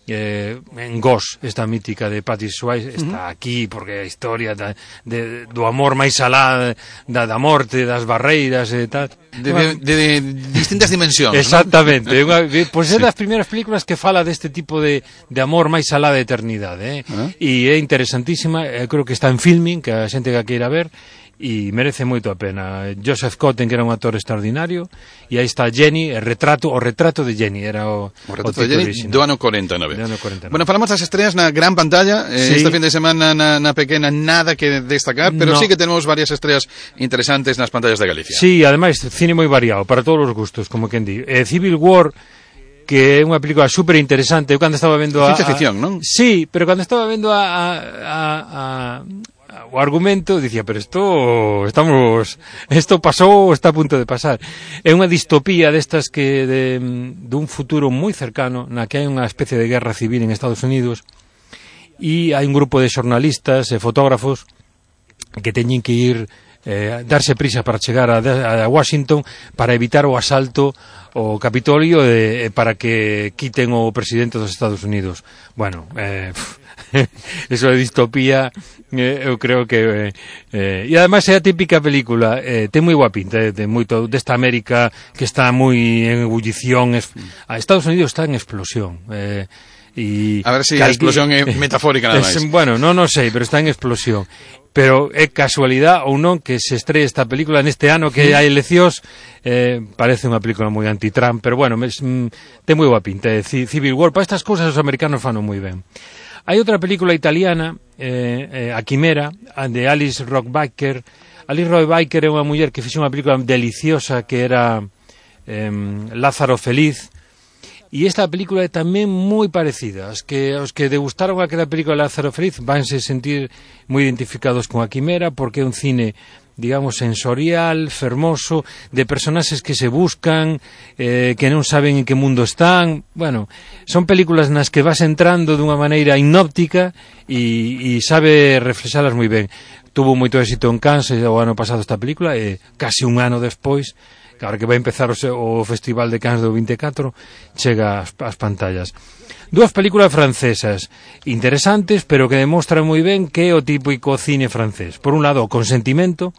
S15: Eh, en Ghost, esta mítica de Patrick Swayze, está uh -huh. aquí porque a historia da, de, do amor máis alá da, da morte, das barreiras e tal,
S1: de, de, de, de distintas dimensións.
S15: Exactamente, ¿no? Unha, pois é das primeiras películas que fala deste tipo de, de amor máis alá da eternidade, eh? Uh -huh. E é interesantísima, eh, creo que está en Filming, que a xente que a queira ver, e merece moito a pena. Joseph Cotten, que era un actor extraordinario, e aí está Jenny, el retrato, o retrato de Jenny, era o,
S1: o retrato o de Jenny original. do ano cuarenta e nove.
S15: Do ano cuarenta e nove.
S1: Bueno, falamos das estreas na gran pantalla, eh, sí. Este fin de semana na, na pequena nada que destacar, pero no. sí que tenemos varias estreas interesantes nas pantallas de Galicia.
S15: Sí, ademais, cine moi variado, para todos os gustos, como quen di. Eh, Civil War, que é unha película super interesante. Eu cando estaba vendo a...
S1: Ciencia ficción, non?
S15: Sí, pero cando estaba vendo a... a, a, a o argumento, dicía, pero isto estamos, isto pasou, está a punto de pasar. É unha distopía destas que de, de un futuro moi cercano, na que hai unha especie de guerra civil en Estados Unidos, e hai un grupo de xornalistas e fotógrafos que teñen que ir eh, darse prisa para chegar a, a Washington para evitar o asalto ao Capitolio eh, para que quiten o presidente dos Estados Unidos. Bueno, eh, eso de distopía, eh, eu creo que eh, e ademais é a típica película, eh, ten moi boa pinta, eh, de moito desta América que está moi en ebullición, es, a Estados Unidos está en explosión, eh, e
S1: a ver se si a explosión é metafórica nada máis.
S15: Bueno, non o sei, pero está en explosión. Pero é casualidade ou non que se estree esta película neste ano que hai eleccións, eh, parece unha película moi anti-Trump, pero bueno, mes, mm, ten moi boa pinta, eh, Civil War, para estas cousas os americanos fan moi ben. Hai outra película italiana, eh, eh, A Quimera, de Alice Rohrwacher. Alice Rohrwacher é unha muller que fixo unha película deliciosa que era eh, Lázaro Feliz, e esta película é tamén moi parecida. Os que, os que degustaron aquela película Lázaro Feliz vanse sentir moi identificados con A Quimera, porque é un cine digamos, sensorial, fermoso, de personaxes que se buscan, eh, que non saben en que mundo están. Bueno, son películas nas que vas entrando dunha maneira hipnóptica e, e sabe reflexalas moi ben. Tuvo moito éxito en Cannes o ano pasado esta película, e casi un ano despois, que agora que vai empezar o, o Festival de Cannes do vinte e catro, chega ás, ás pantallas. Dúas películas francesas interesantes, pero que demostran moi ben que é o típico cine francés. Por un lado, O Consentimento,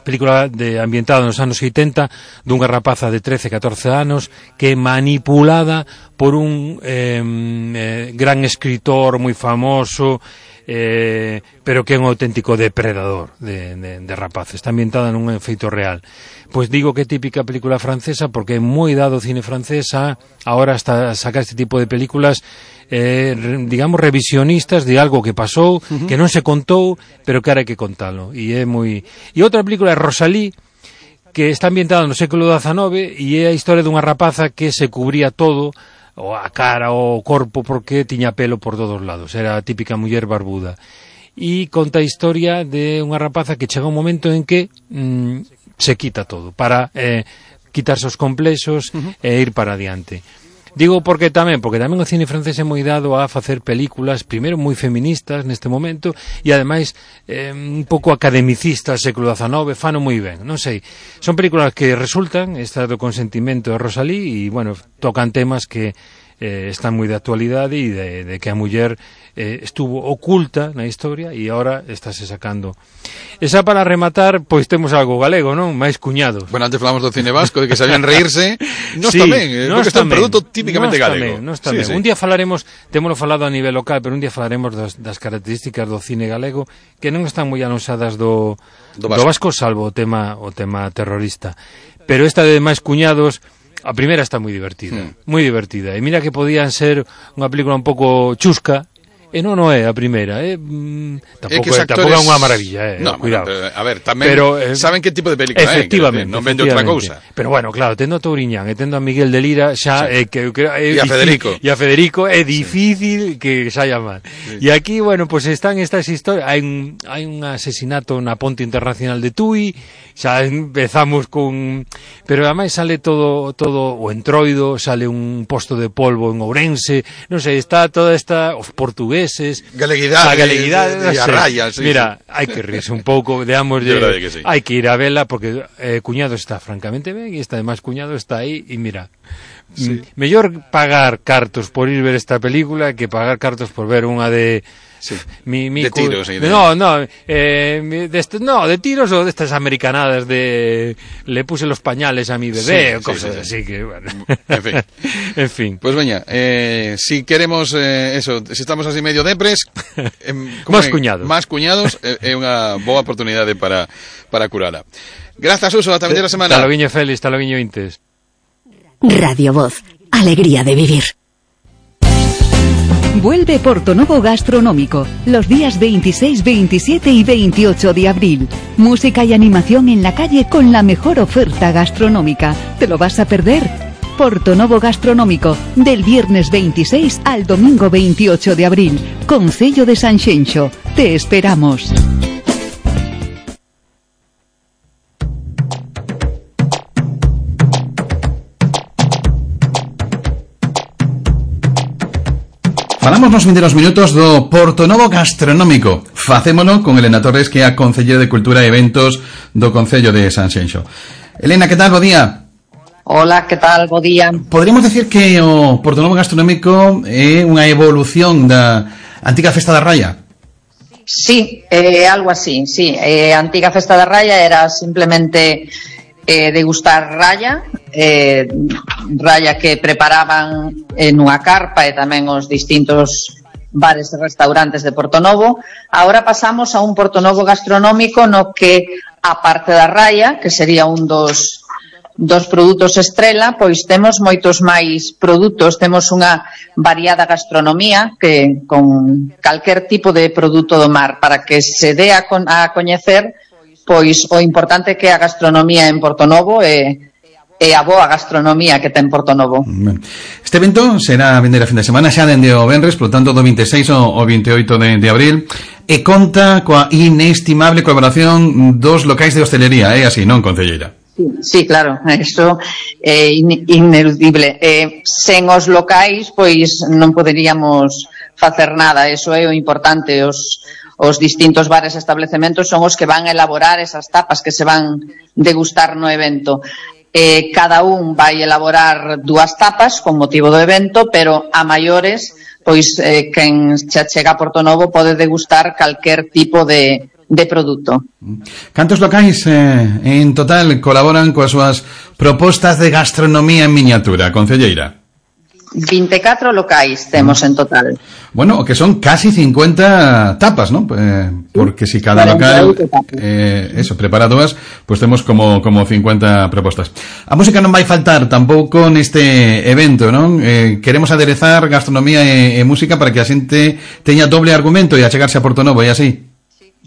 S15: película de, ambientada nos anos oitenta, dunha rapaza de trece, catorce anos que é manipulada por un eh, eh, gran escritor moi famoso, eh, pero que é un auténtico depredador de, de, de rapaces. Está ambientada nun feito real. Pois digo que é típica película francesa porque é moi dado o cine francés a ahora hasta sacar este tipo de películas eh, digamos revisionistas de algo que pasou, uh-huh. que non se contou, pero que ahora hai que contalo. E é moi... E outra película é Rosalí, que está ambientada no século dezanove e é a historia dunha rapaza que se cubría todo, ou a cara, ou o corpo, porque tiña pelo por todos lados. Era a típica muller barbuda. E conta a historia de unha rapaza que chega un momento en que mmm, se quita todo para eh, quitarse os complexos uh-huh. e ir para adiante. Digo porque tamén, porque tamén o cine francés é moi dado a facer películas, primeiro moi feministas neste momento, e ademais eh, un pouco academicistas, século dezanove, fano moi ben, non sei. Son películas que resultan, esta do Consentimento de Rosalí, e, bueno, tocan temas que eh, están moi de actualidade e de, de que a muller eh, estuvo oculta na historia e agora estáse sacando. Esa para rematar, pois temos algo galego, non? Mais cuñados.
S1: Bueno, antes falamos do cine vasco, de que sabían reírse. Nos
S15: sí,
S1: tamén, eh, porque está un produto típicamente galego.
S15: Nos tamén, sí, sí. Un día falaremos, témolo falado a nivel local, pero un día falaremos das, das características do cine galego que non están moi anosadas do, do, vasco. do vasco, salvo o tema, o tema terrorista. Pero esta de máis cuñados, a primeira está moi divertida, mm. moi divertida. E mira que podían ser unha película un pouco chusca, e non non é a primeira, eh? mm, tampouco é, tampouco é unha maravilla, eh?
S1: No,
S15: cuidado.
S1: Bueno, a ver, tamén
S15: pero, eh,
S1: saben que tipo de película é,
S15: efectivamente,
S1: non vende outra cousa.
S15: Pero bueno, claro, tendo a Touriñán e tendo a Miguel de Lira xa
S1: sí.
S15: eh, que, que é
S1: e a Federico.
S15: E a Federico é difícil sí. que saia mal. Sí. E aquí, bueno, pues están estas historias, hai un hai un asesinato na Ponte Internacional de Tui, xa empezamos con, pero ademais sale todo todo o Entroido, sale un posto de polvo en Ourense, non sei, está toda esta os portugueses,
S1: galeguidade,
S15: a galeguidade,
S1: de, de, de
S15: no sé.
S1: raya, sí,
S15: mira,
S1: sí.
S15: hai que rirse un pouco, veamos, que sí. hai que ir a vela porque eh, Cuñado está francamente ben e está además Cuñado está aí e mira, sí. m- mellor pagar cartos por ir ver esta película que pagar cartos por ver unha de
S1: sí.
S15: mi, mi
S1: de
S15: cu-
S1: tiros y de...
S15: no, no, eh, de est- no, de tiros o de estas americanadas de le puse los pañales a mi bebé sí, o cosas sí, sí, así sí. que bueno.
S1: En fin.
S15: En fin.
S1: Pues veña, eh, si queremos eh, eso, si estamos así medio depres, eh,
S15: máis cuñados.
S1: Máis cuñados é eh, unha boa oportunidade para para curala. Grazas, Suso, ata a semana.
S15: Hasta lo viño Félix, hasta lo viño Intes.
S3: Radio Voz, alegría de vivir.
S2: Vuelve Portonovo Gastronómico, los días veintiséis, veintisiete y veintiocho de abril. Música y animación en la calle con la mejor oferta gastronómica. ¿Te lo vas a perder? Portonovo Gastronómico, del viernes veintiséis al domingo veintiocho de abril. Concello de Sanxenxo. Te esperamos.
S1: Falamos nos vindeiros minutos do Portonovo Gastronómico. Facémolo con Elena Torres, que é a Concelleira de Cultura e Eventos do Concello de Sanxenxo. Elena, que tal? Bo día.
S16: Hola, que tal? Bo día.
S1: Poderíamos decir que o Portonovo Gastronómico é unha evolución da antiga Festa da Raya?
S16: Sí, eh, algo así, sí. Eh, a antiga Festa da Raya era simplemente eh, degustar raya, eh, raya que preparaban en unha carpa e tamén os distintos bares e restaurantes de Portonovo. Ahora pasamos a un Portonovo gastronómico no que, a parte da raya, que sería un dos dos produtos estrela, pois temos moitos máis produtos, temos unha variada gastronomía que con calquer tipo de produto do mar, para que se dé a, con, a coñecer pois o importante que é a gastronomía en Portonovo e, e a boa gastronomía que ten Portonovo.
S1: Este evento será a vender a fin de semana xa dende o venres, por tanto do veintiséis ao veintioito de, de abril, e conta coa inestimable colaboración dos locais de hostelería, é así, non, concelleira?
S16: Sí, sí, claro, eso é in, ineludible. Eh, sen os locais, pois non poderíamos facer nada, eso é o importante. Os, os distintos bares e establecementos son os que van a elaborar esas tapas que se van degustar no evento. Eh, cada un vai elaborar dúas tapas con motivo do evento, pero a maiores, pois eh, quen xa chega a Portonovo pode degustar calquer tipo de, de produto.
S1: Cantos locais eh, en total colaboran coas súas propostas de gastronomía en miniatura, concelleira?
S16: vinte e catro locais temos en total.
S1: Bueno, que son casi cincuenta tapas, ¿no? Eh, porque si cada local eh, eso, prepara dúas, pues temos como como cincuenta propostas. A música non vai faltar tampouco neste evento, non? Eh, queremos aderezar gastronomía e, e música para que a xente teña doble argumento e achegarse a Portonovo, e así.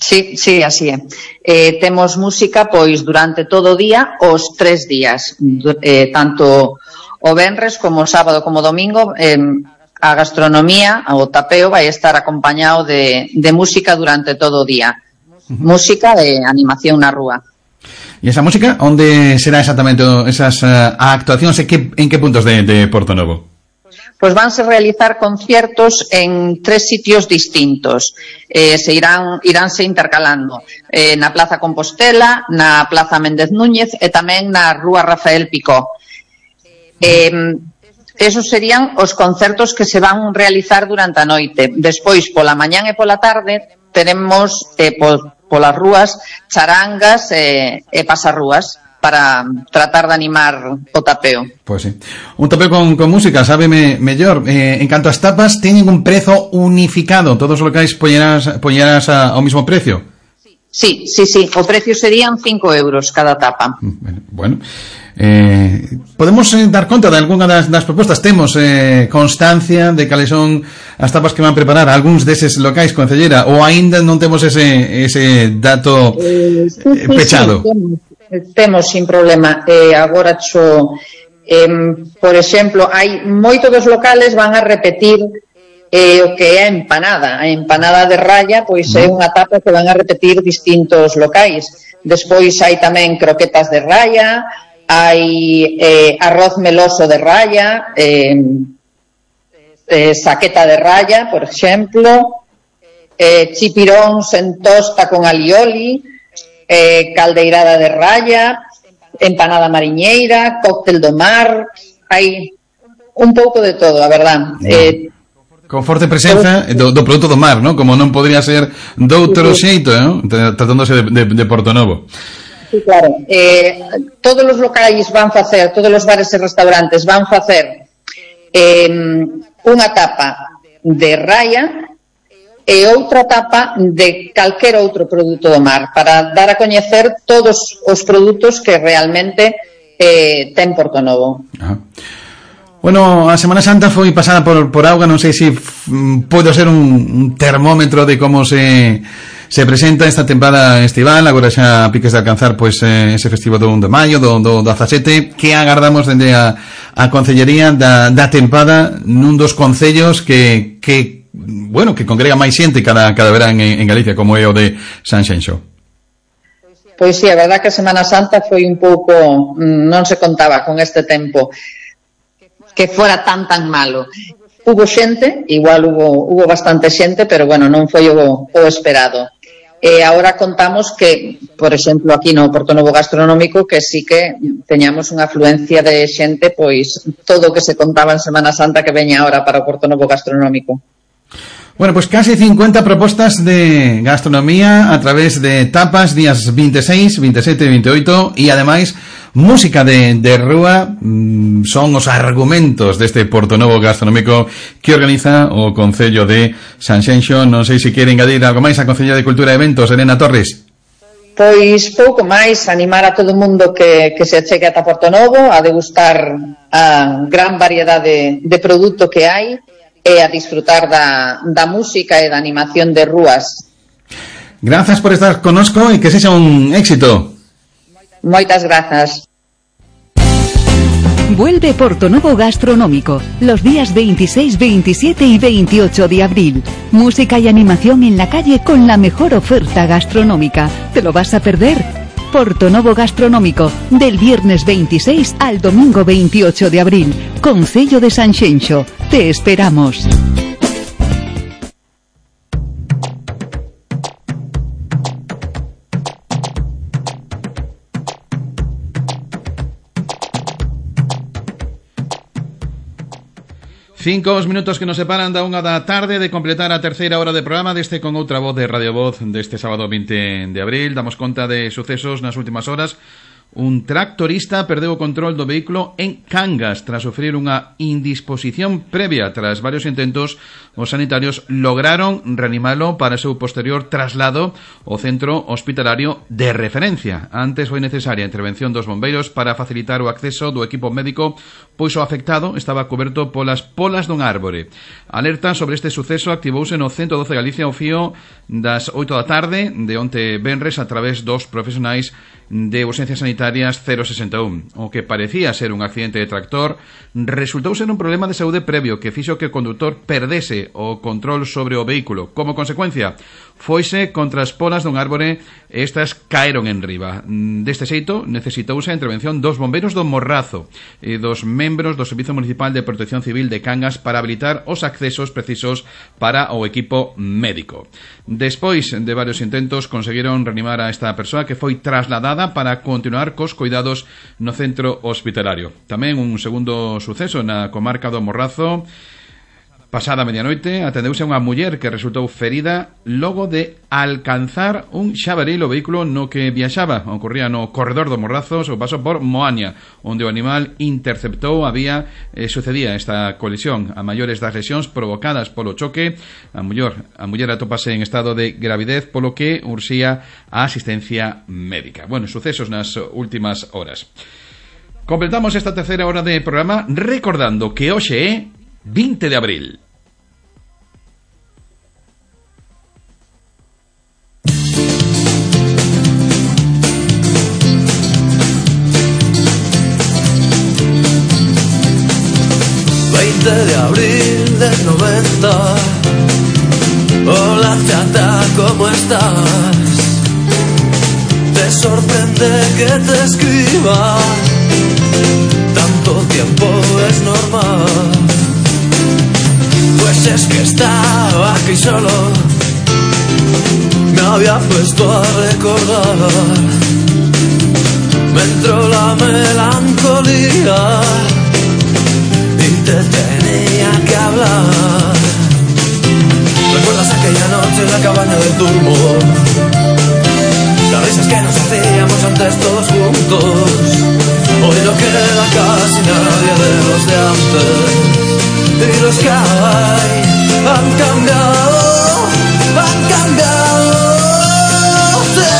S16: Sí, sí, así é. Eh, temos música, pois, durante todo o día, os tres días, eh, tanto o venres como o sábado como o domingo. Eh, a gastronomía, o tapeo, vai estar acompañado de, de música durante todo o día. Uh-huh. Música de animación na rúa.
S1: E esa música, onde será exactamente esas uh, actuacións, en que, en que puntos de, de Portonovo?
S16: Pois vanse realizar conciertos en tres sitios distintos. Eh, se irán iránse intercalando eh, na Plaza Compostela, na Plaza Méndez Núñez e tamén na Rúa Rafael Picó. Eh, esos serían os concertos que se van realizar durante a noite. Despois, pola mañán e pola tarde, teremos eh, po, polas rúas charangas e, e pasarrúas para tratar de animar o tapeo.
S1: Pois sí. Un tapeo con, con música, sábeme mellor. Eh, en canto ás tapas, teñen un prezo unificado. Todos os locais poñerás, poñerás a, ao mismo precio?
S16: Sí, sí, sí. O precio serían cinco euros cada tapa.
S1: Bueno, bueno. Eh, podemos eh, dar conta de algunha das, das propostas. Temos eh, constancia de cales son as tapas que van preparar algúns deses locais, concellera, ou aínda non temos ese, ese dato
S16: eh, sí, sí,
S1: pechado?
S16: Sí, temos, temos sin problema. Eh, agora cho, eh, por exemplo, hai moitos dos locales van a repetir eh, o que é a empanada. A empanada de raya, pois é unha tapa que van a repetir distintos locais. Despois hai tamén croquetas de raya, hai eh, arroz meloso de raya, eh, eh, saqueta de raya, por exemplo, eh, chipiróns en tosta con alioli, eh, caldeirada de raya, empanada mariñeira, cóctel do mar, hai un pouco de todo, a verdad. Eh,
S1: Con forte presenza do, do produto do mar, ¿no? Como non podría ser doutro xeito, ¿no? Tratándose de, de, de Portonovo.
S16: Sí, claro. Eh, todos os locais van facer, todos os bares e restaurantes van facer eh, unha tapa de raya e outra tapa de calquer outro produto do mar para dar a coñecer todos os produtos que realmente eh, ten Portonovo.
S1: Ajá. Bueno, a Semana Santa foi pasada por, por auga, non sei se f, pode ser un, un termómetro de como se se presenta esta tempada estival. Agora xa piques de alcanzar pois eh, ese festivo do un de maio, do, do dezasete. Que agardamos dende a, a Concellería da, da tempada nun dos concellos que, que bueno, que congrega máis xente cada, cada verán en, en Galicia, como é o de Sanxenxo?
S16: Pois sí, a verdad que a Semana Santa foi un pouco, non se contaba con este tempo que fora tan tan malo. Hubo xente, igual hubo, hubo bastante xente, pero bueno, non foi o, o esperado. E agora contamos que, por exemplo, aquí no Portonovo Gastronómico, que sí que teñamos unha afluencia de xente, pois todo o que se contaba en Semana Santa que veña ahora para o Portonovo Gastronómico.
S1: Bueno, pues casi cincuenta propostas de gastronomía a través de tapas días veintiséis, veintisiete e veintiocho e ademais música de, de rúa. Mmm, son os argumentos deste Portonovo Gastronómico que organiza o Concello de Sanxenxo. Non sei se quere engadir algo máis a Concello de Cultura e Eventos, Elena Torres.
S16: Pois pouco máis, animar a todo o mundo que, que se chegue ata Portonovo a degustar a gran variedade de, de produto que hai e a disfrutar da, da música e da animación de rúas.
S1: Grazas por estar conosco e que sexa un éxito.
S16: Moitas grazas.
S2: Vuelve Portonovo Gastronómico los días veintiséis, veintisiete y veintiocho de abril. Música y animación en la calle con la mejor oferta gastronómica. ¿Te lo vas a perder? Portonovo Gastronómico, del viernes veintiséis al domingo veintiocho de abril. Concello de Sanxenxo. Te esperamos.
S1: Cinco os minutos que nos separan da unha da tarde de completar a terceira hora de programa deste Con Outra Voz de Radio Voz deste sábado vinte de abril. Damos conta de sucesos nas últimas horas. Un tractorista perdeu o control do vehículo en Cangas tras sufrir unha indisposición previa. Tras varios intentos, os sanitarios lograron reanimalo para o seu posterior traslado ao centro hospitalario de referencia. Antes foi necesaria a intervención dos bombeiros para facilitar o acceso do equipo médico, pois o afectado estaba coberto polas polas dun árbore. Alerta sobre este suceso activouse no ciento doce Galicia ao fío das oito da tarde de onte venres a través dos profesionais de urxencias sanitarias cero sesenta e un. O que parecía ser un accidente de tractor resultou ser un problema de saúde previo que fixo que o condutor perdese o control sobre o vehículo. Como consecuencia, foise contra as polas dun árbore e estas caeron en riba. Deste xeito, necesitouse a intervención dos bombeiros do Morrazo e dos membros do Servizo Municipal de Protección Civil de Cangas para habilitar os accesos precisos para o equipo médico. Despois de varios intentos, conseguiron reanimar a esta persoa que foi trasladada para continuar cos cuidados no centro hospitalario. Tamén un segundo suceso na comarca do Morrazo. Pasada medianoite, atendeuse a unha muller que resultou ferida logo de alcanzar un xabaril o vehículo no que viaxaba. Ocorría no corredor do Morrazo, o paso por Moaña, onde o animal interceptou a vía e sucedía esta colisión. A maiores das lesións provocadas polo choque, a muller, a muller atópase en estado de gravidez, polo que urxía a asistencia médica. Bueno, sucesos nas últimas horas. Completamos esta terceira hora de programa recordando que hoxe é vinte de abril.
S17: veinte de abril del noventa. Hola chata, ¿cómo estás? Te sorprende que te escriba. Tanto tiempo es normal. Pues es que estaba aquí solo, me había puesto a recordar, me entró la melancolía y te tenía que hablar. ¿Recuerdas aquella noche en la cabaña del turbo? Las risas que nos hacíamos antes todos juntos. Hoy no queda casi nadie de los de antes. Y los que hay han cambiado, han cambiado, sí.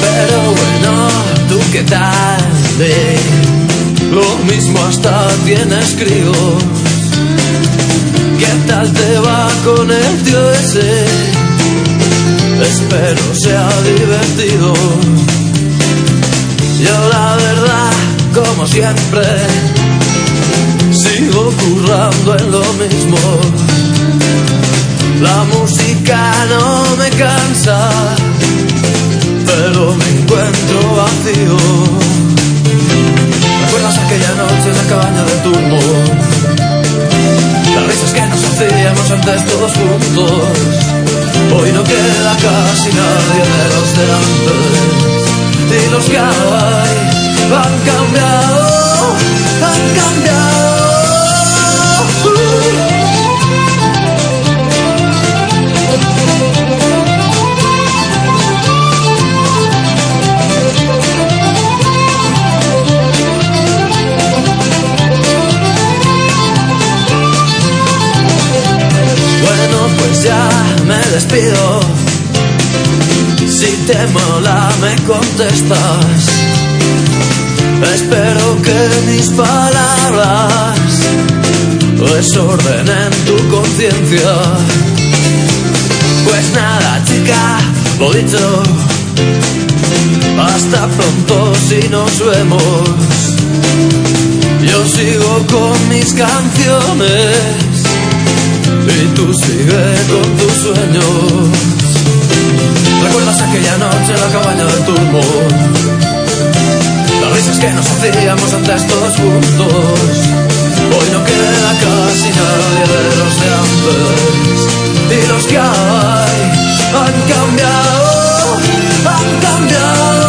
S17: Pero bueno, ¿tú qué tal? De lo mismo hasta tienes críos. ¿Qué tal te va con el tío ese? Espero sea divertido. Yo la verdad, como siempre, sigo currando en lo mismo. La música no me cansa, pero me encuentro vacío. ¿Recuerdas aquella noche en la cabaña del turbo? Las risas que nos hacíamos antes todos juntos. Hoy no queda casi nadie de los de antes. Y los que hay han cambiado, han cambiado. Ya me despido. Si te mola me contestas. Espero miedo que mis palabras desordenen tu conciencia. Pues nada, chica, lo dicho, hasta pronto si nos vemos. Yo sigo con mis canciones y tú sigue con tus sueños. ¿Recuerdas aquella noche en la cabaña del turbo? Las risas que nos hacíamos antes todos juntos. Hoy no queda casi nadie de los de antes. Y los que hay han cambiado, han cambiado.